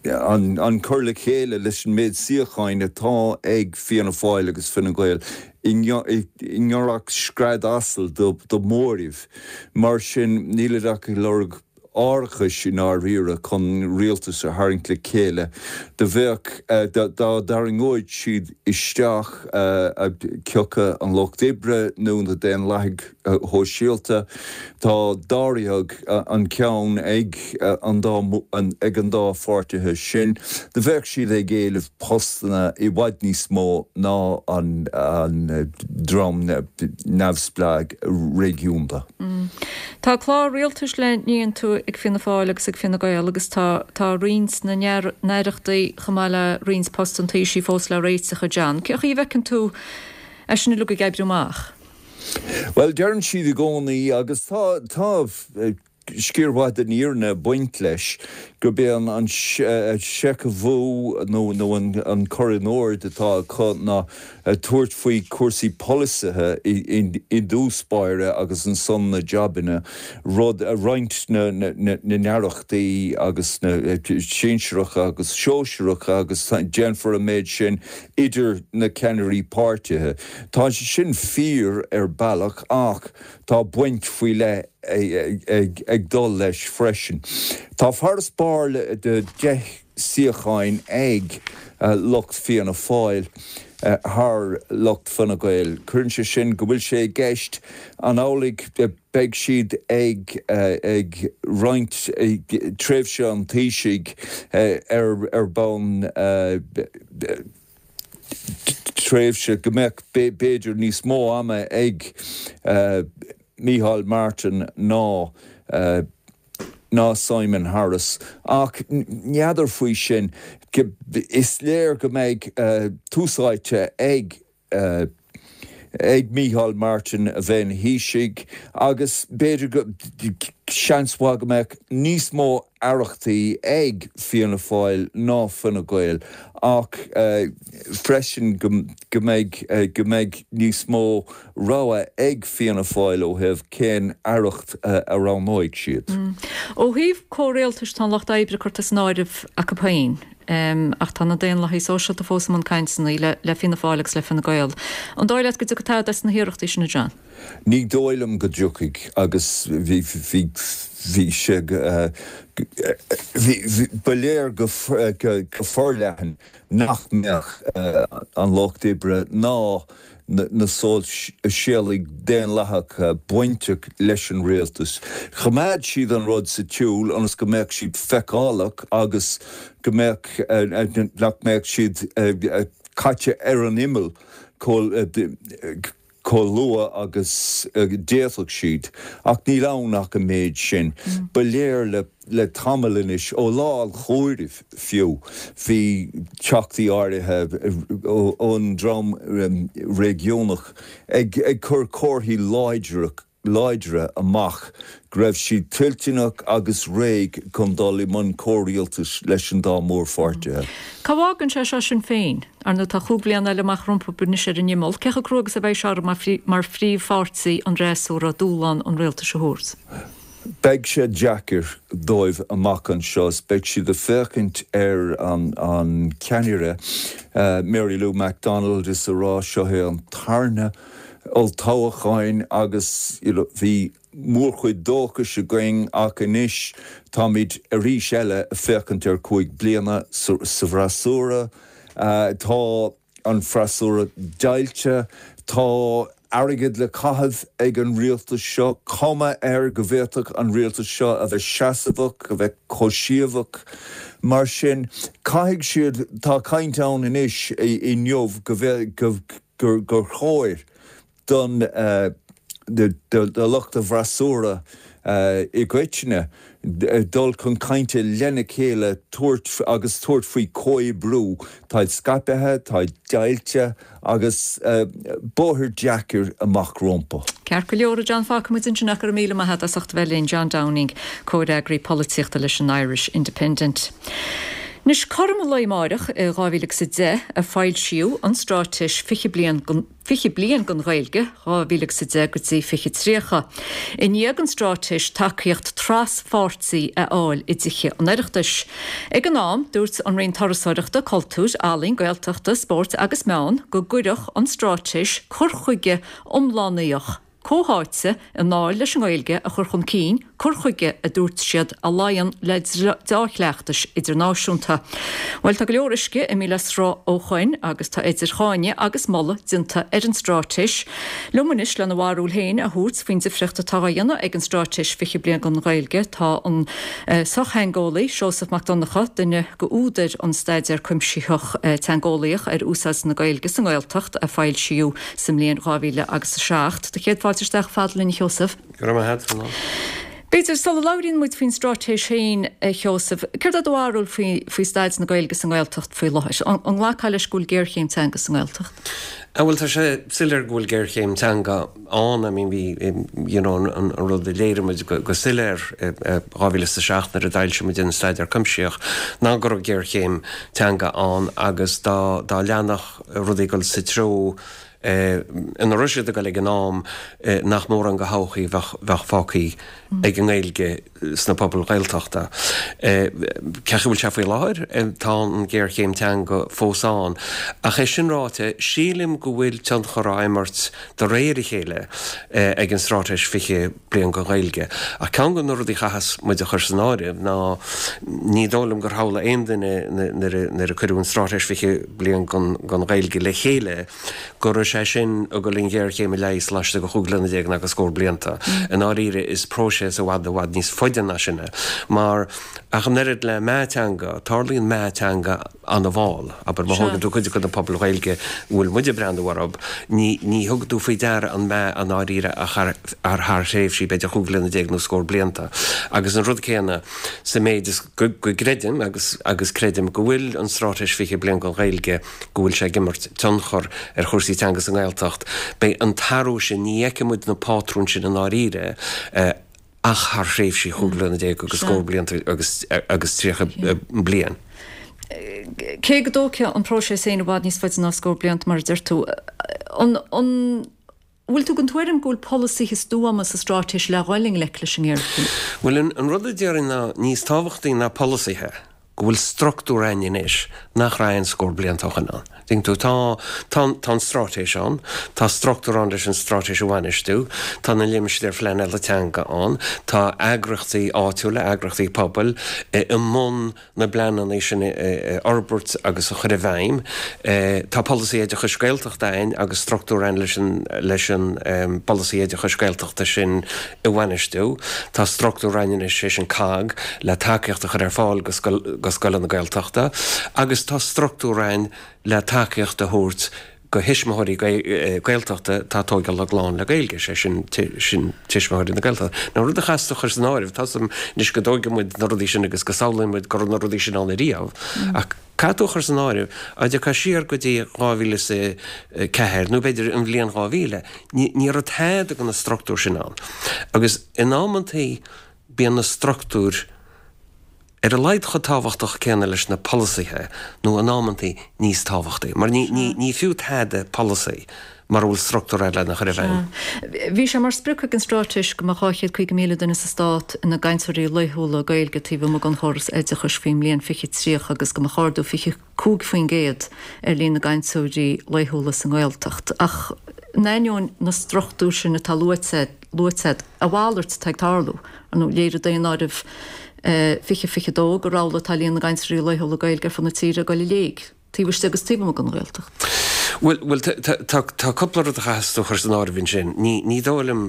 S14: an cur le chéile leis an méid suíocháin atá ag Fianna Fáil agus Fine Gael i ngiorracht scread asail do mhóramh. Mar sin, nílid ach ag lorg árachais i ndáiríre chun rialtas a tharraingt le chéile. Do bheadh, dá dtarraingeodh siad isteach cé acu an Lucht Oibre nó na Daonlathaigh Shóisialta, tá dáréag an ceann ag an dá, ag an dá pháirtithe sin, do bheadh siad ag éileamh postanna i bhfad níos mó ná an dream neamhspleách réigiúnda.
S1: Tá clár rialtais le n-aontú ag Fianna Fáil agus ag Fine Gael agus tá tá roinnt na n-aireachtaí chomh maith le roinnt post an Taoisigh fós le réiteach, a John. Cén chaoi a bhfeiceann tú é sin uilig ag oibriú amach?
S14: Bhuel, deireann siad i gcónaí, agus tá tá sciar mhaith den fhírinne ag baint leis, gurb é an seicheamhú nó nó an cur in ord atá acu ná tabhairt faoi chúrsaí polasaithe i dtús báire agus ansan na jabanna, rud a roinnt na n-aireachtaí agus na sinsearacha agus sóisearacha agus déanfar an méid sin idir na ceannairí páirtithe. Tá sé sin fíor ar bealach ach tá baint faoi leith ag dul leis freisin. Tá farasbarr de 10 suíocháin ag lucht Fianna Fáil thar lucht Fine Gael. Cuireann sé sin go bhfuil sé i gceist an amhlaidh beidh siad ag ag roinnt tréimhse an Taoisigh ar ar bonn tréimhse go mbeadh b'fhéidir níos mó ama ag Micheál Martin ná ná Simon Harris. Ach n'fheadar faoi sin. Is léir go mbeidh tús áite ag ag Micheál Martin a bheith ina Thaoiseach agus b'fhéidir go, seans mhaith go mbeadh níos mó aireachtaí ag Fianna Fáil ná Fine Gael ach freisin go mbeidh go mbeidh níos mó rogha ag Fianna Fáil ó thaobh cén aireacht a roghnóidh siad.
S1: Ó thaobh comhrialtais tá an Lucht Oibre curtha san áireamh acu féin ach tá na Daonlathaigh Sóisialta fós i mbun cainteanna le Fianna Fáil agus le Fine Gael. An dóigh leat go dtiocfaidh tada as na hiarrachtaí sin, a John?
S14: Ní dóigh liom go dtiocfaidh agus bhí bhí bhí sé bhí ba léir go forleathan nach mbeadh an Lucht Oibre ná na Sóisialaigh Daonlathacha bainteach leis an rialtas. Choimeád siad an rud sa tsiúl ionas go mbeadh siad feiceálach agus go mbeadh, nach mbeadh siad caite ar an imeall. Chomh luath agus a d'fhéadfadh siad, ach níl ann ach an méid sin. Ba léir le le tamall anois, ó lá an chomhairimh fiú, bhí teachtaí áirithe ón dream réigiúnach ag cur comharthaí láidre láidre amach go raibh siad toilteanach agus réidh chun dul i mbun comhrialtais leis an dá mhórpháirtithe.
S1: Cá bhfágann sé seo Sinn Féin? Ar ndóigh tá chúig bhliana eile amach rompu anois ar an imeall. Cé chomh crua agus a bheidh sé orthu mar phríomhpháirtí an fhreasúra dúshlán an rialtais a thabhairt?
S14: Beidh sé deacair dóibh amach anseo is beidh siad ag féachaint ar an ceannaire, Mary Lou McDonald, is a rá seo é an tarna olltoghchán agus you know bhí mórchuid dóchais againn ach anois táimid arís eile ag féachaint ar chúig bliana sa bhfreasúra. Tá an freasúra deighilte, tá airgead le caitheamh ag an rialtas seo, cuma air go bhféadfadh an rialtas seo a bheith seasmhach, a bheith comhsheasmhach. Mar sin, caithfidh siad, tá caint ann anois inniu go go gur chóir don do lucht an fhreasúra i gcoitinne dul chun cainte lena chéile tabhairt agus tabhairt faoi chomhoibriú. Táid scaipthe, táid deighilte agus bóthar deacair amach rompu.
S1: Ceart go leor, a John, fágfaidh muid ansin ach go raibh míle maith agat as ucht a bheith linn. John Downing, comhfhreagraí polaitíochta leis an Irish Independent. Anois, cothrom an lae amáireach i 2010 a foilsíodh an Straitéis 20 Bliain 20 Bliain don Ghaeilge, 2010 go dtí 2030. I ndiaidh don Straitéis tacaíocht tras-pháirtí a fháil i dTithe an Oireachtais. Ag an am, dúirt an Roinn Turasóireachta, Cultúir, Ealaíon, Gaeltachta, Spóirt agus Meán go gcuirfeadh an Straitéis cur chuige iomlánaíoch, comhtháite i ndáil leis an nGaeilge a chur chun cinn, cur chuige, a dúirt siad, a luíonn le deá-chleachtais idirnáisiúnta. Bhuel, tá go leor uisce imithe le sruth ó shoin agus tá idir cháineadh agus moladh déanta ar an straitéis. Liom anois lena bharúil féin a thabhairt faoin difríocht atá á dhéanamh ag an Straitéis 20 Bliain don Ghaeilge tá an sochtheangeolaí Seosamh Mac Donncha, duine d'údair an staidéar cuimsitheach teangeolaíoch ar úsáid na Gaeilge sa nGaeltacht a foilsíodh sa mbliain 2007. Do chéad fáilte isteach fada linn, a Sheosaimh.
S15: Go raibh maith agat, a Fhionnuala.
S1: B'fhéidir, sula labhraíonn muid faoin straitéis féin, a Sheosaimh, céard é do bharúil faoi, faoi staid na Gaeilge sa nGaeltacht faoi láthair? An, an nglacfá leis go bhfuil géarchéim teanga sa nGaeltacht?
S15: Ah bhuel, tá sé soiléir go bhfuil géarchéim teanga ann. I mean, bhí, you know, an, an rud a léirigh muid go, go soiléir i, i 2007 nuair a d'fhoilsigh muid an staidéar cuimsitheach ná go raibh géarchéim teanga ann agus dá, dá leanfadh rudaí ag dul sa treo ina raibh siad ag dul ag an am, nach mórán de thodhchaí a bheadh fágtha ag an nGaeilge sna pobail Ghaeltachta. Cé chaoi a bhfuil sé faoi láthair, tá an ghéarchéim teanga fós ann. Ach é sin ráite, sílim go bhfuil tionchar á imirt de réir a chéile ag an Straitéis 20 Bliain don Ghaeilge. Ach ceann de na rudaí a chaithfeas muid a chur san áireamh ná ní dóigh liom gur shamhlaigh aon duine nuair a cuireadh an Straitéis 20 Bliain don Ghaeilge le chéile go raibh sé sin ag dul an ghéarchéim a leigheas laistigh de chúig bliana déag ná de scór blianta. I ndáiríre is próiseas i bhfad i bhfad níos faide ná sin é mar ach an oiread le meath teanga, tarlaíonn meath teanga an-mhall. Abair, má thógann tú cuid de na pobail Ghaeilge a bhfuil muid ag breathnú orthu, ní ní thugann tú faoi deara an meath i ndáiríre ach thar thar thréimhsí b'fhéidir chúig bliana déag nó scór blianta. Agus an rud céanna sa méid is go go gcreidim agus agus creidim go bhfuil an Straitéis 20 Bliain don Ghaeilge, go bhfuil sé ag imirt tionchar ar chúrsaí teanga sa nGaeltacht, beidh an t-athrú sin, ní fheicfidh muid na pátrúin sin i ndáiríre ach thar thréimhsí chúig bliana déag agus scór blianta agus agus 30 bliain.
S1: Cé go dtógfaidh an próiseas féin i bhfad níos faide ná scór blianta, mar a deir tú, an an bhfuil tú den tuairim go bhfuil polasaithe stuama sa straitéis le dhul i ngleic leis an ngéarchéim?
S15: Bhuel, an rud a déarfainn ná níos tábhachtaí ná polasaithe, go bhfuil structúr ann anois nach raibh aon scór blianta ó shin ann. Tuigeann tú, tá, tá, tá an straitéis ann, tá structúr ann leis an straitéis a bhainistiú, tá na limistéir phleanála teanga ann, tá eagraíochtaí áitiúla, eagraíochtaí pobail i mbun na bpleananna sin a fhorbairt agus a chur i bhfeidhm. Tá polasaí oideachais Gaeltachta ann agus structúr ann leis an, leis an bpolasaí oideachais Gaeltachta sin a bhainistiú. Tá structúr ann anois, sé sin COGG, le tacaíocht a chur ar fáil go scoileanna Gaeltachta agus tá structúr ann le tacaíocht a thabhairt. go thuismitheoirí Gaeltachta atá ag tóigeáil a gclann le Gaeilge, sé sin, sin tuismitheoirí na Gaeltachta. Now rud a chaithfeas tú a chur san áireamh, tá 's agam anois go dtóigeann muid na rudaí sin agus go samhlaíonn muid go raibh na rudaí sin ann ariamh, ach caithfidh tú a chur san áireamh, dá dtiocfá siar go dtí 2004 nó b'fhéidir an bhliain 2000, ní, ní raibh tada de na struchtúir sin ann. Agus in amantaí bíonn na struchtúir, ar a laghad chomh tábhachtach céanna leis na polasaithe, nó in amantaí níos tábhachtaí, mar ní fiú tada polasaí mura bhfuil struchtúr agat lena chur i bhfeidhm.
S1: Bhí sé mar sprioc ag an straitéis go mbeadh 250,000 duine sa stát ina gcainteoirí laethúla Gaeilge taobh amuigh den chóras oideachais faoin mbliain 2030 agus go mbeadh ardú 25% ar líon na gcainteoirí laethúla sa nGaeltacht. Ach in ainneoin na struchtúr sin atá luaite, luaite agat, a mhalairt atá ag tarlú. Ar ndóigh, léirigh Daonáireamh 2022 gur amhlaidh atá líon na gcainteoirí laethúla Gaeilge ar fud na tíre ag dul i léig, taobh istigh agus taobh amuigh den Ghaeltacht.
S15: Bhuel, bhuel, tá, tá cúpla rud a chaithfeas tú a chur san áireamh ansin. Ní, ní dóigh liom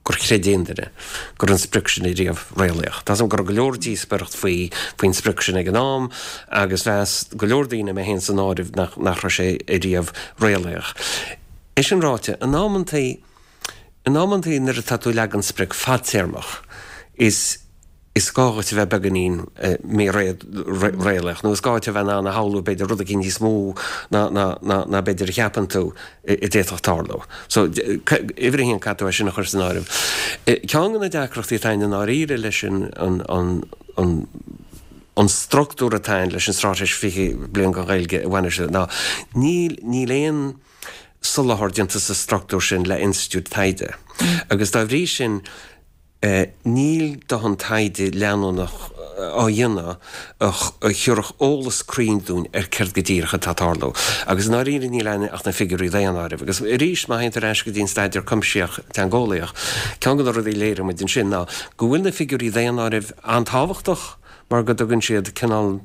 S15: gur chreid aon duine go raibh an sprioc sin ariamh réalaíoch. Tá 's agam go raibh go leor díospóireacht faoi, faoin sprioc sin ag an am agus mheas go leor daoine, mé féin san áireamh, nach, nach raibh sé ariamh réalaíoch. É sin ráite, in amantaí, in amantaí nuair atá tú ag leagan sprioc fadtéarmach, is, is gá dhuit a bheith beagáinín míréalaíoch, nó is gá duit a bheith in ann a shamhlú b'fhéidir rud éicint níos mó ná, ná, ná, ná b'fhéidir a cheapann tú a d'fhéadfadh tarlú. So, uimhir a haon, caithfidh tú é sin a chur san áireamh. Ceann de na deacrachtaí atá ann i ndáiríre leis an, an, an, an, an struchtúr atá ann leis an Straitéis 20 Bliain don Ghaeilge a bhainistiú ná níl, níl aon soláthar déanta sa struchtúr sin le institiúid taighde agus dá bhrí sin níl dóthain taighde leanúnach á dhéanamh a thabharfadh eolas cruinn dúinn ar céard go díreach atá ag tarlú. Agus i ndáiríre níl ann ach na figiúirí daonáirimh. Agus arís má théann tú ar ais go dtí an staidéar cuimsitheach teangeolaíoch, ceann de na rudaí a léirigh muid ansin ná go bhfuil na figiúirí daonáirimh an-tábhachtach mar go dtugann siad cineál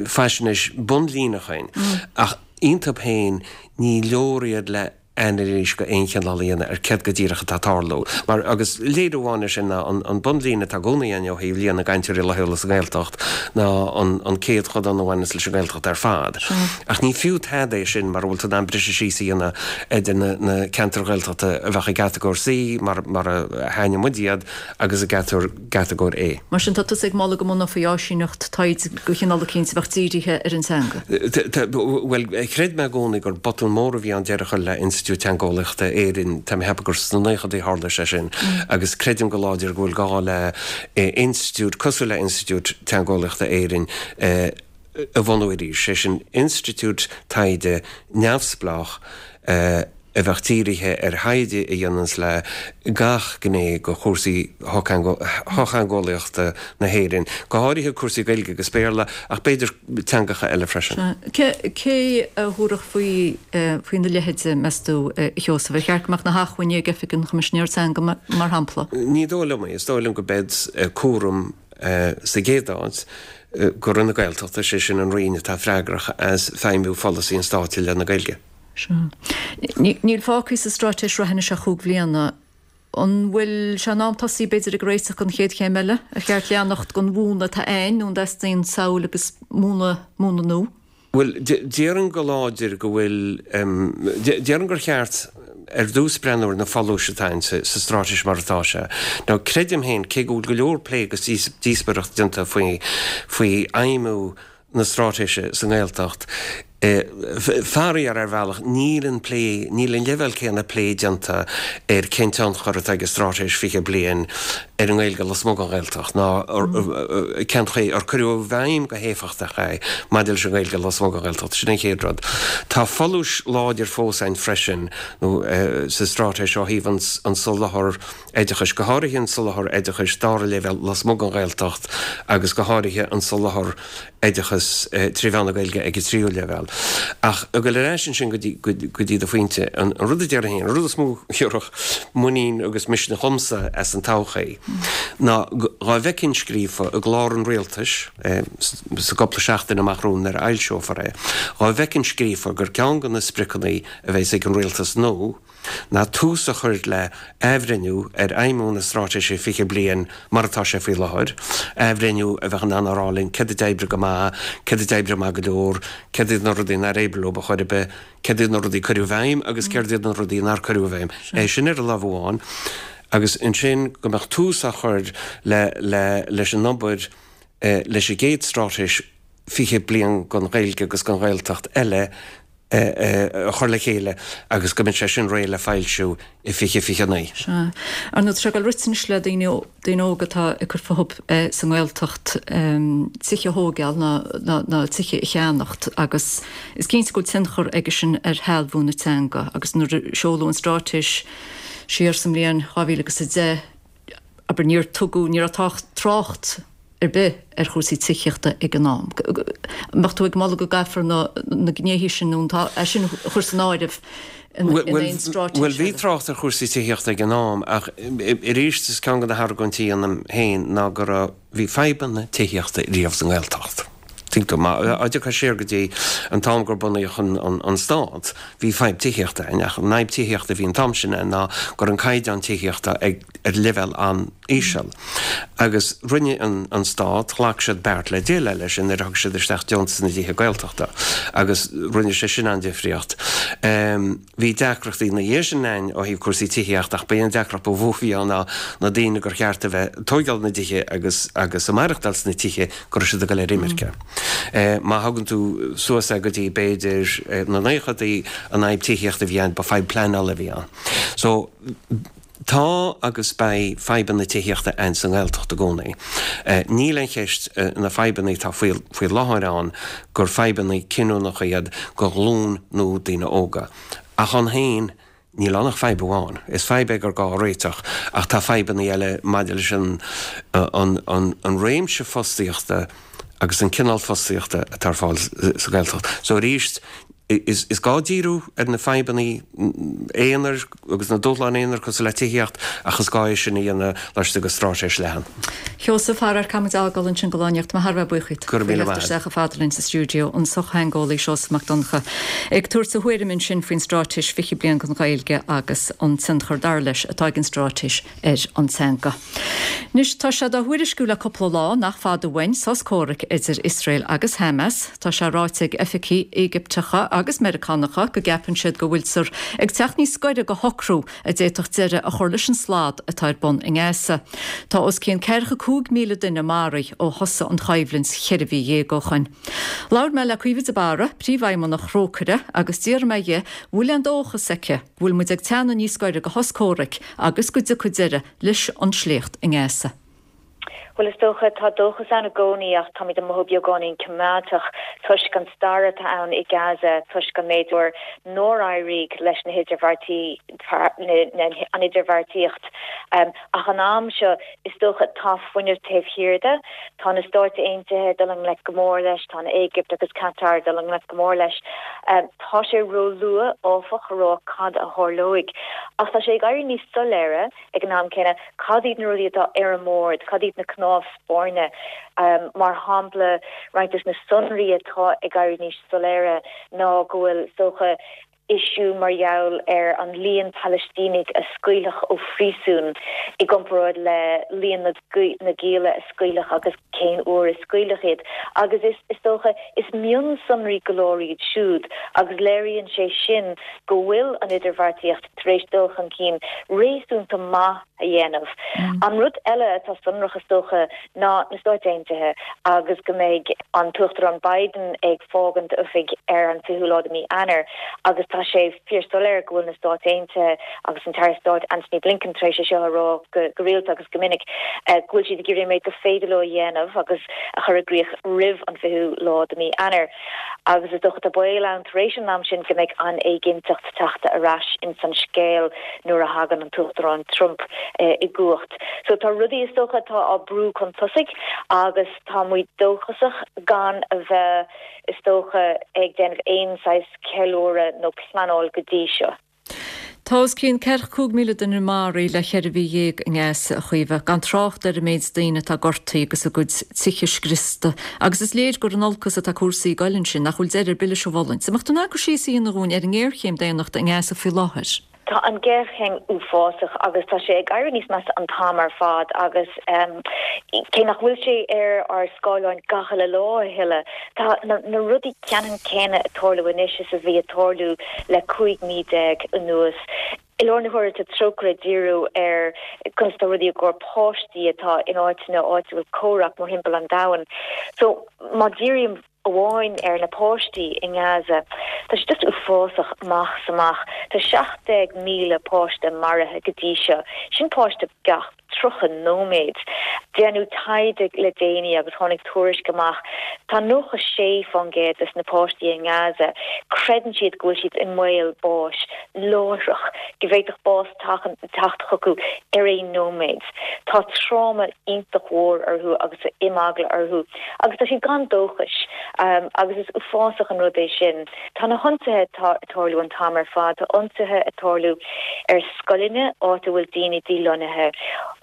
S15: faisnéis bunlíneach dúinn ach iontu féin ní leor iad le anailís de aon chineál a dhéanamh ar céard go díreach atá ag tarlú. Mar, agus léiriú amháin air sin ná an bunlíne atá i gcónaí ann ó thaobh líon na gcainteoirí laethúla sa nGaeltacht ná an céadchodán a bhaineas leis an nGaeltacht ar fad. Ach ní fiú tada é sin mura bhfuil tú in ann briseadh síos a dhéanamh idir na ceantair Ghaeltachta a bheadh i gcatagóir C, mar a shainnigh muid iad, agus i gcatagóir A.
S1: Mar sin, tá tusa ag moladh go mbunófaí áisíneacht taighde de chineál eicínt a bheadh dírithe ar an teanga.
S15: Bhuel, chreid mé i gcónaí gur botún mór a bhí ann deireadh a chur le Institiúid Teangeolaíochta Éireann, tá mé ag ceapadh gur sna naochadaí a tharla sé sin, agus creidim go láidir go bhfuil gá le institiúid cosúil le Institiúid Teangeolaíochta Éireann a bhunú arís, sé sin institiúid taighde neamhspleách a bheadh dírithe ar thaighde a dhéananns le gach gné de chúrsaí shochtheangeolaíochta na hÉireann, go háirithe cúrsaí Gaeilge agus Béarla, ach b'fhéidir teangacha eile freisin.
S1: Sea. Cé a thabharfadh faoi faoina leithéid, meas tú, a Sheosaimh? Ar cheart go mbeadh na hacmhainní ag Oifig an Choimisinéara Teanga, mar shampla?
S15: Ní dóigh liom é. Is dóigh liom go mbeidh cúram sa gcéad áit, go Roinn na Gaeltachta, sé sin an Roinn atá freagrach as feidhmiú pholasaí an Stáit i leith na Gaeilge.
S1: Sea. Níl fágtha sa straitéis reatha anois ach chúig bhliana. An bhfuil sé in am tosaí b'fhéidir ag réiteach don chéad chéim eile? Ar cheart leanacht den mhúnla atá ann nó an dteastaíonn samhail agus múnla múnla nua?
S15: Bhuel, déarfainn go láidir go bhfuil, déarfainn gur cheart ar dtús breathnú ar na folúis atá ann sa straitéis mar atá sé. Now, creidim féin, cé go bhfuil go leor plé agus díospóireacht déanta faoi faoi fheidhmiú na straitéise sa nGaeltacht, faraor, ar bhealach, níl an plé, níl an leibhéal céanna plé déanta ar cén tionchar atá ag an Straitéis 20 Bliain ar an nGaeilge lasmuigh den Ghaeltacht ná cén chaoi ar cuireadh i bhfeidhm go héifeachtach é maidir leis an nGaeilge lasmuigh den Ghaeltacht. Sin an chéad rud. Tá folúis láidir fós ann freisin nó sa straitéis ó thaobh an soláthar oideachais, go háirithe an soláthar oideachais dara leibhéal lasmuigh den Ghaeltacht agus go háirithe an soláthar oideachas trí mheán na Gaeilge ag an tríú leibhéal. Ach ag dul ar ais ansin go dtí, go dtí do phointe, an rud a déarfainn féin, an rud is mó a thabharfadh muinín agus misneach dhomsa as an todhchaí ná dhá bhfeicfinn scríofa i gclár an rialtais, sa gcúpla seachtain amach romhainn nuair a fhoilseofar é, dhá bhfeicfinn scríofa gur ceann de na spriocanna a bheas ag an rialtas nua. ná tús a chur le athbhreithniú ar fheidhmiú na Straitéise 20 Bliain mar atá sé faoi láthair, athbhreithniú a bheadh in ann a rá linn céard a d'oibrigh go maith, céard a d'oibrigh maith go leor, céard iad na rudaí nár oibrigh leo ar chor ar bith, céard iad na rudaí a cuireadh i bhfeidhm agus céard iad na rudaí nár cuireadh i bhfeidhm. É sin ar an lámh amháin agus ansin go mbeadh tús á chur le leis an obair leis an gcéad Straitéis 20 Bliain don Ghaeilge agus don Ghaeltacht eile a chur le chéile agus go mbeadh sé sin réidh le foilsiú i 2029.
S1: Sea. Ar ndóigh, tá sé ag dul rite anois le daoine, daoine óga atá ag cur fúthu sa nGaeltacht tithe a thógáil ná tithe a cheannacht agus is cinnte go bhfuil tionchar aige sin ar shealbhú na teanga agus nuair a seoladh an straitéis siar sa mbliain 2010, abair, níor tugadh, ní raibh trácht ar bith ar chúrsaí tithíochta ag an am. An mbeadh tú ag moladh go gcaithfear na gnéithe sin nó é sin a chur san áireamh in aon straitéis eile?
S15: Bhuel, bhí trácht ar chúrsaí tithíochta ag an am ach arís is ceann de na hargóintí a dhéanaim féin ná go raibh, bhí fadhbanna tithíochta riamh sa nGaeltacht. Tuigeann tú, má dtiocfá siar go dtí an t-am gur bunaíodh an stát, bhí fadhb tithíochta ann, ach an fhadhb tithíochta a bhí an t-am sin ann ná go raibh an caighdeán tithíochta ag ar leibhéal an-íseal. Agus rinne an stát, ghlac siad beart le déileáil leis sin nuair a thug siad isteach deontas na dtithe Gaeltachta agus rinne sé sin an-difríocht. Bhí deacrachtaí ina dhiaidh sin ann ó thaobh cúrsaí tithíochta ach ba é an deacracht ba mhó a bhí ann ná na daoine gur cheart a bheith ag tóigeáil na dtithe agus agus ag maireachtáil sna tithe go raibh siad ag dul ar imirce. Má thagann tú suas é go dtí b'fhéidir na naochadaí an fhadhb tithíochta a bhí ann ba fadhb pleanála a bhí ann. So. Tá agus beidh fadhbanna tithíochta ann sa nGaeltacht i gcónaí. Níl aon cheist na fadhbanna atá faoi láthair ann gur fadhbanna cinniúnacha iad do ghlúin nua daoine óga. Ach ann féin, níl ann ach fadhb amháin. Is fadhb é gur gá a réiteach ach tá fadhbanna eile maidir leis an réimse fostaíochta agus an cineál fostaíochta atá ar fáil sa Ghaeltacht. So arís, Is gá díriú ar na fadhbanna aonair agus na dúshláin aonair cosúil le tithíocht ach is gá é sin a dhéanamh laistigh de straitéis leathan.
S1: Sheosaimh, a chara, caithfidh muid a fhágáil ansin do lá anocht. Tá mé thar a bheith buíoch díot
S15: Go raibh míle
S1: faoi theacht
S15: maith agat.
S1: isteach chomh fada linn sa stiúideo, an sochtheangeolaí Seosamh Mac Donncha ag tabhairt a thuairim ansin faoin Straitéis 20 Bliain don Ghaeilge agus an tionchar, dar leis, atá ag an straitéis ar an teanga. Anois, tá sé dá thuairisciú le cúpla lá nach fada uainn sos comhraic idir Iosrael agus Hamas. Tá sé ráite ag oifigigh Éigipteacha agus Meiriceánacha go gceapann siad go bhfuiltear ag teacht níos gaire do shocrú a d'fhéadfadh deireadh a chur leis an slad atá ar bun i nGaza. Tá os cionn 45,000 duine maraithe ó thosaigh an choimhlint cheithre mhí dhéag ó shoin. Labhair mé le Caoimhe de Barra, Príomhfheidhmeannach Thrócaire, agus d'fhiafraigh mé dhi an bhfuil aon dóchas aici go bhfuil muid ag teannadh níos gaire do shos comhraic agus go dtiocfaidh deireadh leis an sléacht i nGaza.
S16: Bhuel, is dócha, tá dóchas ann i gcónaí ach táimid ag mothú beagáinín coimeádach toisc an stair atá ann i Gaza, toisc an méid uair nár éirigh leis na hidirbheartaí, an idirbheartaíocht. Ach an am seo, is dócha, tá fuinneamh taobh thiar de. Tá na Stáit Aontaithe ag dul i ngleic go mór leis, tá an Éigipt agus Qatar ag dul i ngleic go mór leis. Tá sé róluath, áfach, a rá cad a tharlóidh. Ach tá sé ag éirí níos soiléire ag an am céanna cad iad na rudaí atá ar an mbord, cad iad na cnámha spairne. Mar shampla, roinnt de na sonraí atá ag éirí níos soiléire ná go bhfuil, is dócha, issue mar gheall ar an líon Palaistínigh a scaoilfeadh ó phríosún i gcomparáid le líon na ngialla a scaoilfeadh agus cén uair a scaoilfeadh iad. Agus is, is dócha, is mionsonraí go leor iad siúd agus léiríonn sé sin go bhfuil an idirbheartaíocht tar éis dul chun cinn réasúnta maith a dhéanamh. An rud eile atá sonrach, is dócha, ná na Stáit Aontaithe agus go mbeidh an tUachtarán Biden ag fágaint oifig ar an 20ú lá de mhí Eanáir agus tá sé fíorshoiléir go bhfuil na Stáit Aontaithe agus an tAire Stáit Antony Blinken tar éis é seo a rá go rialta agus go minic go bhfuil siad ag iarraidh an méid gur féidir leo a dhéanamh agus a chur i gcrích roimh an 20ú lá de mhí Eanáir. Agus is dócha tá baol ann tar éis an am sin go mbeidh an éiginnteacht teachta ar ais ins an scéal nuair a thagann an tUachtarán Trump i gcumhacht. So tá rudaí is dócha atá á brú chun tosaigh agus tá muid dóchasach gan a bheith is dócha ag déanamh aon saghas ceiliúradh nó pleanáil go dtí seo.
S1: Tá os cionn 45,000 duine maraithe le cheithre mhí dhéag i nGaza, a Chaoimhe, gan trácht ar an méid daoine atá gortaithe agus a gcuid tithe scriosta. Agus is léir gur in olcas atá cúrsaí ag goil ansin, nach bhfuil deireadh ar bith leis an bhfulaingt. An mbeadh tú in ann cur síos a dhéanamh dhúinn ar an ngéarchéim daonnachta i nGaza faoi láthair?
S16: Tá an ghéarchéim uafásach agus tá sé ag éirí níos measa an t-am ar fad agus cé nach bhfuil sé ar ár scáileáin gach uile lá a thuilleadh, tá na rudaí ceannann céanna ag tarlú anois is a bhí ag tarlú le 15 mí anuas. I lár na huaire tá Trócaire ag díriú ar conas atá rudaí i gcomhair páistí atá in áiteanna áit a bhfuil comhrac mórthimpeall an domhain. So má dhírím amháin ar na páistí i nGaza. Tá sé just uafásach amach is amach. Tá 17,000 páiste maraithe go dtí seo. Sin páiste gach 30 nóiméad. Déanadh taighde le déanaí agus tháinig tuairisc amach, tá 96% des na páistí i nGaza, creideann siad go bhfuil siad i mbaol báis láithreach, go bhféadfadh bás teacht chucu ar aon nóiméad. Tá tráma iontach mhór orthu agus imeagla orthu agus tá siad gan dóchas agus is uafásach an rud é sin. Tá na hionsaithe ag tarlú an t-am ar fad. Tá ionsaithe ag tarlú ar scoileanna, áit a bhfuil daoine dílonnaithe.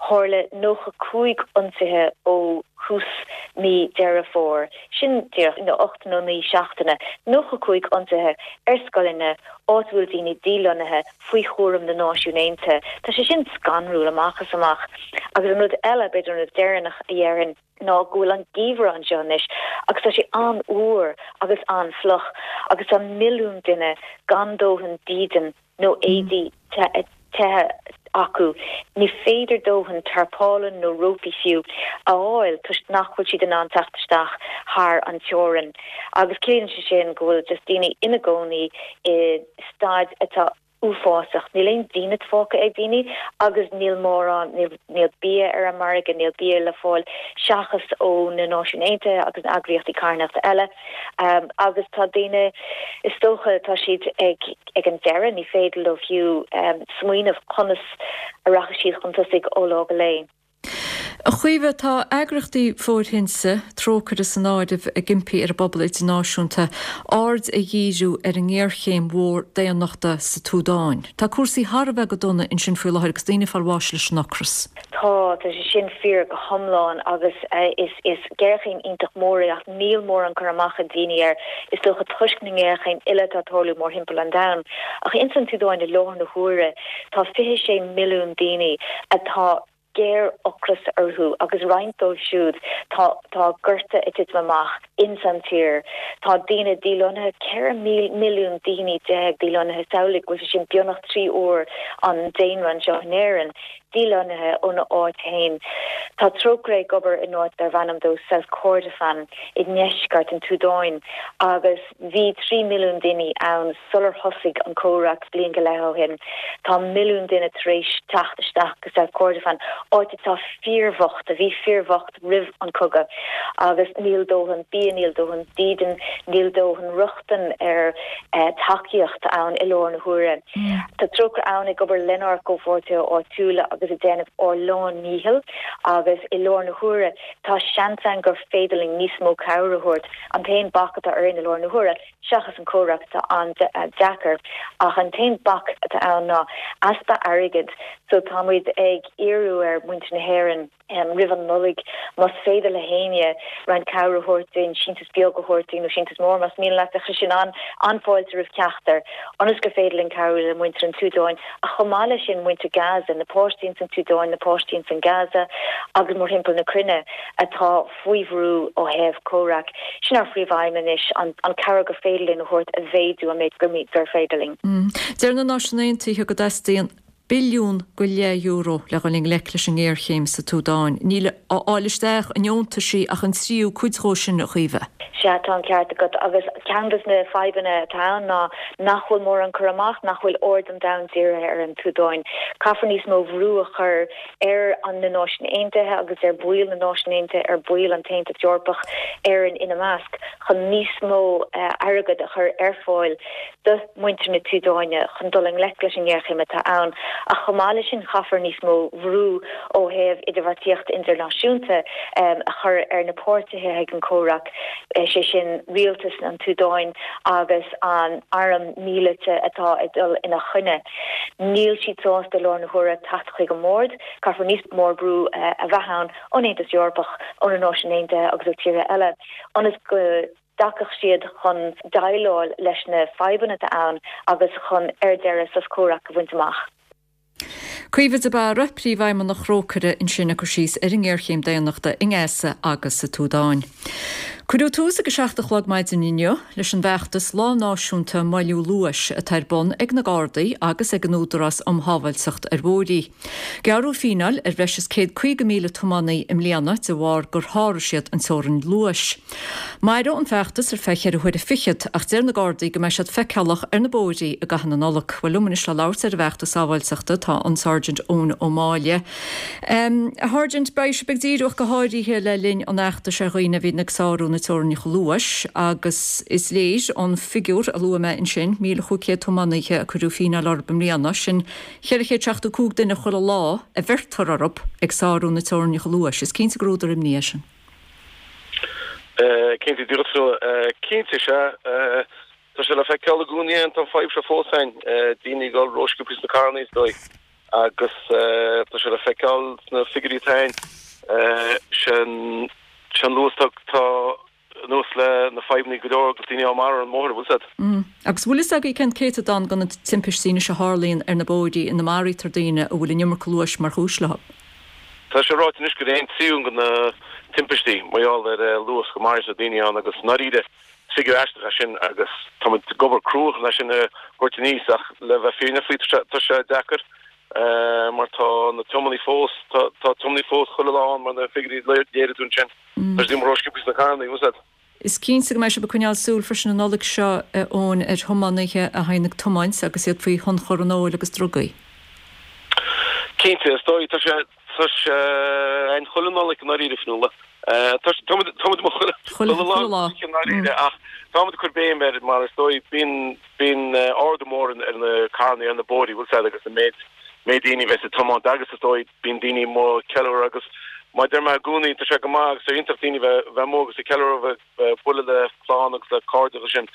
S16: Tharla 95 ionsaithe ó thús mí Deireadh Fómhair, sin díreach 8 nó 9 seachtaine, 95 ionsaithe ar scoileanna, áit a bhfuil daoine dílonnaithe faoi chúram na Náisiún Aontaithe. Tá sé sin scanrúil amach is amach. Agus an rud eile, b'fhéidir an rud deireanach a dhéarfainn, ná go bhfuil an geimhreadh anseo anois agus tá sé an-fhuar agus an-fhliuch agus tá milliún duine gan dóthain dídean nó éadaí te acu. Ní féidir dóthain tarpálann nó rópaí fiú a fháil toisc nach bhfuil siad in ann teacht isteach thar an teorainn. Agus ciallaíonn sé sin go bhfuil just daoine ina gcónaí i staid atá uafásach. Níl aon dínit fágtha ag daoine agus níl mórán, níl bia ar an margadh, níl bia le fáil seachas ó na Náisiúin Aontaithe agus na eagraíochtaí carthanachta eile. Agus tá daoine, is dócha, tá siad ag ag an deireadh, ní féidir leo fiú smaoineamh conas a rachaidh siad chun tosaigh ó lá go lá.
S1: A Chaoimhe, tá eagraíochtaí fóirthinte, Trócaire san áireamh, ag impí ar an bpobal idirnáisiúnta aird a dhíriú ar an ngéarchéim mhór daonnachta sa tSúdáin. Tá cúrsaí thar a bheith go dona ansin faoi láthair agus daoine ag fáil bháis leis an ocras.
S16: Tá, tá sé sin fíor go hiomlán agus is, is géarchéim iontach mór é ach níl mórán cur amach ag daoine air, is dócha toisc na ngéarchéim uile atá ag tarlú mórthimpeall an domhain. Ach ins an tSúdáin i láthair na huaire, Tá 26 milliún daoine atá géar-ocras orthu agus roinnt dóibh siúd tá tá gorta ag titim amach ins an tír. Tá daoine dílonnaithe, 14 milliún daoine dílonnaithe, samhlaigh go bhfuil sé sin beagnach 3 uair an daonra anseo in Éirinn, dílonnaithe óna áit féin. Tá Trócaire ag obair in áit darb ainm dó South Kordofan i ndeisceart an tSúdáin agus Bhí 3 milliún duine ann sular thosaigh an comhrac bliain go leith ó shin. Tá milliún duine tar éis teacht isteach go South Kordofan, áit atá fíorbhocht, a bhí fíorbhocht roimh an cogadh, agus níl dóthain bia, níl dóthain dídin, níl dóthain rochtain ar tacaíocht ann i lár na huaire. Tá Trócaire ann ag obair lenár gcomhpháirtithe áitiúla agus ag déanamh ár lán-ndícheall agus i lár na huaire tá seans ann gur féidir linn níos mó cabhair a thabhairt. An t-aon bac atá orainn i lár na huaire, seachas an comhrac atá an-deacair, ach an t-aon bac atá ann ná easpa airgid. So tá muid ag iarraidh ar mhuintir na hÉireann roimh an Nollaig, más féidir le héinne roinnt cabhair a thabhairt dúinn, síntiús beag a thabhairt dúinn nó síntiús mór más mian leat, bheadh sé sin an-fháilte roimh ceachtar, ionas gur féidir linn cabhrú le muintir an tSúdáin ach chomh maith leis sin muintir Gaza, na páistí ins an tSúdáin, na páistí ins an Gaza agus mórthimpeall na cruinne atá faoi bhrú ó thaobh comhrac. Sin ár phríomh-aidhm anois, an cabhair gur féidir linn a thabhairt a mhéadú an méid gur féidir linn.
S1: Deir na Náisiúin Aontaithe go dteastaíonn billiún go leith euro le dhul i ngleic leis an ngéarchéim sa tSúdáin. Níl á fháil isteach i ndeontaisí ach an tríú cuid dhó sin, a Chaoimhe.
S16: Sea, tá an ceart agat. Agus ceann de na fadhbanna atá ann ná nach bhfuil mórán cur amach, nach bhfuil aird an domhain dírithe ar an tSúdáin. Caithfear níos mó bhrú a chur ar an na Náisiúin Aontaithe agus ar bhaill na Náisiún Aontaithe, ar bhaill an tAontas Eorpach, Éirinn ina measc, chun níos mó airgead a chur ar fáil do mhuintir na tSúdáine chun dul i ngleic leis an ngéarchéim atá ann. Ach chomh maith leis sin caithfear níos mó bhrú ó thaobh idirbheartaíocht idirnáisiúnta a chur ar na páirtithe ag an comhrac, sé sin rialtas an tSúdáin agus an arm míleata atá ag dul ina choinne. Níl siad sásta i lár na huaire teacht chuig an mbord. Caithfear níos mó brú a bheith ann ón Aontas Eorpach, ó na Náisiúin Aontaithe agus ó tíortha eile ionas go. dtagann siad chun déileáil leis na fadhbanna atá ann agus chun, ar deireadh, sos comhraic a bhaint amach.
S1: Caoimhe de Barra, Príomhfheidhmeannach Thrócaire ansin ag cur síos ar an ngéarchéim daonnachta i nGaza agus sa tSúdáin. Cuireadh tús ag 7 a chlog maidin inniu leis an bhfeachtas Lá Náisiúnta Moilliú Luais atá ar bun ag na Gardaí agus ag an Údarás um Shábháilteacht ar Bhóithre. Gearradh fíneáil ar bhreis is 150,000 tiománaí i mbliana de bharr gur sháraigh siad an teorainn luais. Mairfidh an feachtas ar feadh cheithre huaire fichead ach deir na Gardaí go mbeidh siad feiceálach ar na bóithrí i gcaitheamh na Nollag. Bhuel liom anois le labhairt ar an bhfeachtas sábháilteachta tá an Sergeant Eoin Ó Máille. A Sháirsint, beidh sibh ag díriú ach go háirithe le linn an fheachtais ar dhaoine a bhíonn ag sárú na teorainneacha luais agus is léir ón bhfigiúr a luaigh mé ansin, 1,500 tiománaithe a cuireadh fíneáil orthu i mbliana, sin 475 duine chuile lá a bheirtear orthu ag sárú na teorainneacha luais. Is cinnte gur údar imní é sin.
S8: Cinnte, díreach so. Cinnte, sea. Tá sé le feiceáil i gcónaí tá an fadhb seo fós ann, daoine ag dul rósciobtha sna carranna is dóigh, agus tá sé le feiceáil sna figiúirí atá ann. Sin an luas tá anuas le na fadhbanna go leor agus daoine á marú ar an mbóthar, bhfuil 's a'd.
S1: Agus bhfuil fhios agaibh cén céatadán de na timpistí anois a tharlaíonn ar na bóithrí ina maraítear daoine a bhfuil an iomarca luais mar chúis leo?
S8: Tá sé ráite anois gur aon tríú de na timpistí mar gheall ar luas go maraítear daoine ann agus i ndáiríre is figiúr aisteach é sin agus tá muid ag obair crua chun é sin a thabhairt aníos ach le bheith fírinneach faoi tá sé deacair mar tá na tiománaí fós, tá tiománaí fós chuile lá ann mar na figiúirí a léirigh tú ansin. Tá siad amuigh rósciobtha sna carranna, bhfuil 's a'd.
S1: Is cinnte go mbeidh sibh ag coinneáil súil freisin an Nollaig seo, a Eoin, ar thiománaithe a théann ag tiomáint agus iad faoi thionchar an óil agus drugaí.
S8: Cinnte, is dóigh. Tá sé, tá sé ann chuile Nollaig i ndáiríre, Fionnuala. Tá sé, táimid, táimid amuigh chuile, chuile lá i ndáiríre ach táimid ag cur béim air mar is dóigh bíonn, bíonn ardú mór ar na carranna ar na bóithrí, bhfuil 's a'd, agus an méid, méid daoine a bheas ag tiomáint agus is dóigh, Bíonn daoine amuigh ag ceiliúradh agus mar a deir mé i gcónaí, tá sé go maith agus tá iontach daoine bheith bheith amuigh agus ag ceiliúradh, bheith bheith bualadh le clann agus le cairde agus sin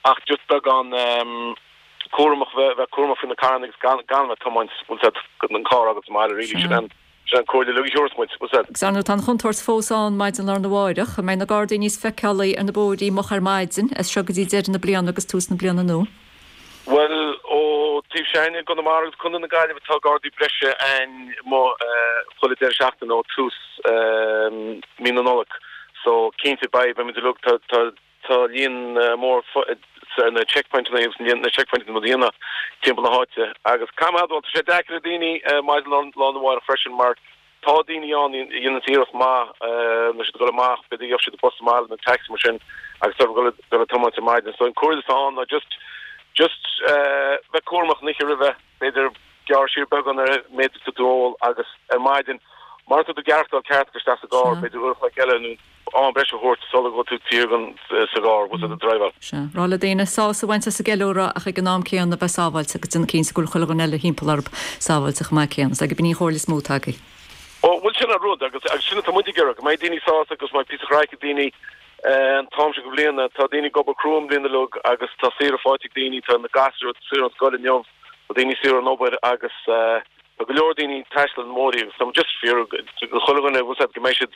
S8: ach just beagán cúramach bheith bheith cúramach faoi na carranna agus gan gan bheith ag tiomáint, bhfuil 's a'd, an carr agat sa mbaile really, sin an sin an comhairle uilig a thiúrfas muid, bhfuil 's a'd.
S1: Agus ar ndóigh tá an chontúirt fós ann maidin lá arna mháireach. An mbeidh na Gardaí níos feiceálaí ar na bóithrí moch ar maidin as seo go dtí deireadh na bliana agus tús na bliana nua?
S8: Bhuel, ó taobh s'againne i gConamara agus Contae na Gaillimhe tá Gardaí breise ann amuigh chuile deireadh seachtaine ó tús mí na Nollag. So, cinnte beidh, beidh muid uilig, tá, tá, tá líon mór ar na checkpointeanna agus na checkpointeanna a dhéanamh timpeall na háite. Agus caithfidh mé a admháil, tá sé deacair ar daoine maidin lá arna mháireach freisin mar Tá daoine ann a dhéananns iarracht maith nuair siad ag dul amach, b'fhéidir gheobhaidh siad bus amach nó taxi mar sin agus tá ag dul ag tiomáint ar maidin. So an comhairle atá ann ná just just bheith cúramach an oíche roimhe, b'fhéidir gearr siar beagán ar an méid atá tú ag ól agus ar maidin mara tá tú ag aireachtáil ceart gabh isteach sa gcarr, b'fhéidir uair a chloig eile nó am breise a thabhairt sula bhfuil tú thiar sa gcarr, bhfuil tú ag driveáil.
S1: Sea. Rá le daoine sásamh a bhaint as an gceiliúradh ach ag an am céanna bheith sábháilte agus déanamh cinnte go bhfuil chuile dhuine eile thimpeall orthu sábháilte chomh maith céanna. Is é gurb in í an chomhairle is mó atá agaibh.
S8: Ó, bhuel sin an rud agus agus sin atá muid ag iarraidh, go mbeidh daoine sásta agus go mbeidh píosa craic ag daoine an t-am seo de bhliain. Tá daoine ag obair crua an bhliain uilig agus tá saoire faighte ag daoine, tá na gasúir saor ón scoil inniu, tá daoine saor ón obair agus Tá go leor daoine ag taisteal ar na bóithrí agus tá muid just ag iarraidh do chuile dhuine, bhfuil 's a'd, go mbeidh siad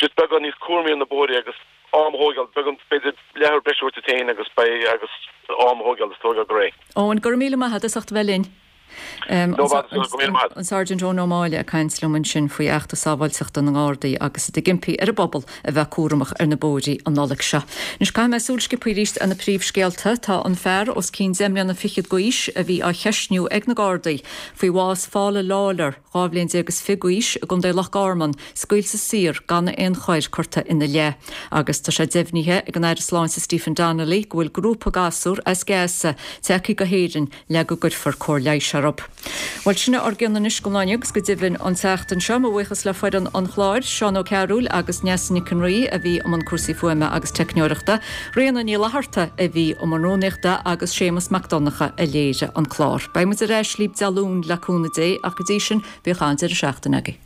S8: just beagán níos cúramaí ar na bóithrí agus am a thóigeáil, beagán, b'fhéidir leathuair breise a thabhairt duit féin agus beidh, agus am a thóigeáil is tóigeáil go réidh.
S1: Eoin, go raibh míle maith agat as ucht a bheith linn.
S8: No bother, go raibh míle maith agat.
S1: An Sergeant Eoin Ó Máille ag caint liom ansin faoi fheachtas sábháilteachta na nGardaí agus iad ag impí ar an bpobal a bheith cúramach ar na bóithrí an Nollaig seo. Anois caithfidh mé súil sciobtha arís ar na príomhscéalta. Tá an fear os cionn deich mbliana fichead d'aois a bhí á cheistniú ag na Gardaí faoi bhás Phaula Lawlor, 12 bhliain is fiche d'aois, i gContae Loch Garman, scaoilte saor gan aon choir curtha ina leith. Agus tá sé deimhnithe ag an Aire Sláinte Stephen Donnelly go bhfuil grúpa gasúr as Gaza tagtha go hÉirinn le go gcuirfear cóir leighis orthu. Bhuel, sin é ár gcion anois don lá inniu agus go deimhin an tseachtain seo. Mo bhuíochas le foireann an chláir, Seán Ó Cearúil agus Neasa Nic an Rí a bhí i mbun cúrsaí fuaime agus teicneoireachta, Ríona Ní Fhlatharta a bhí i mbun rúnaíochta agus Séamus Mac Donncha a léirigh an clár. Beidh muid ar ais libh Dé Luain le cúnamh Dé ach go dtí sin, bíodh an-deireadh seachtaine agaibh.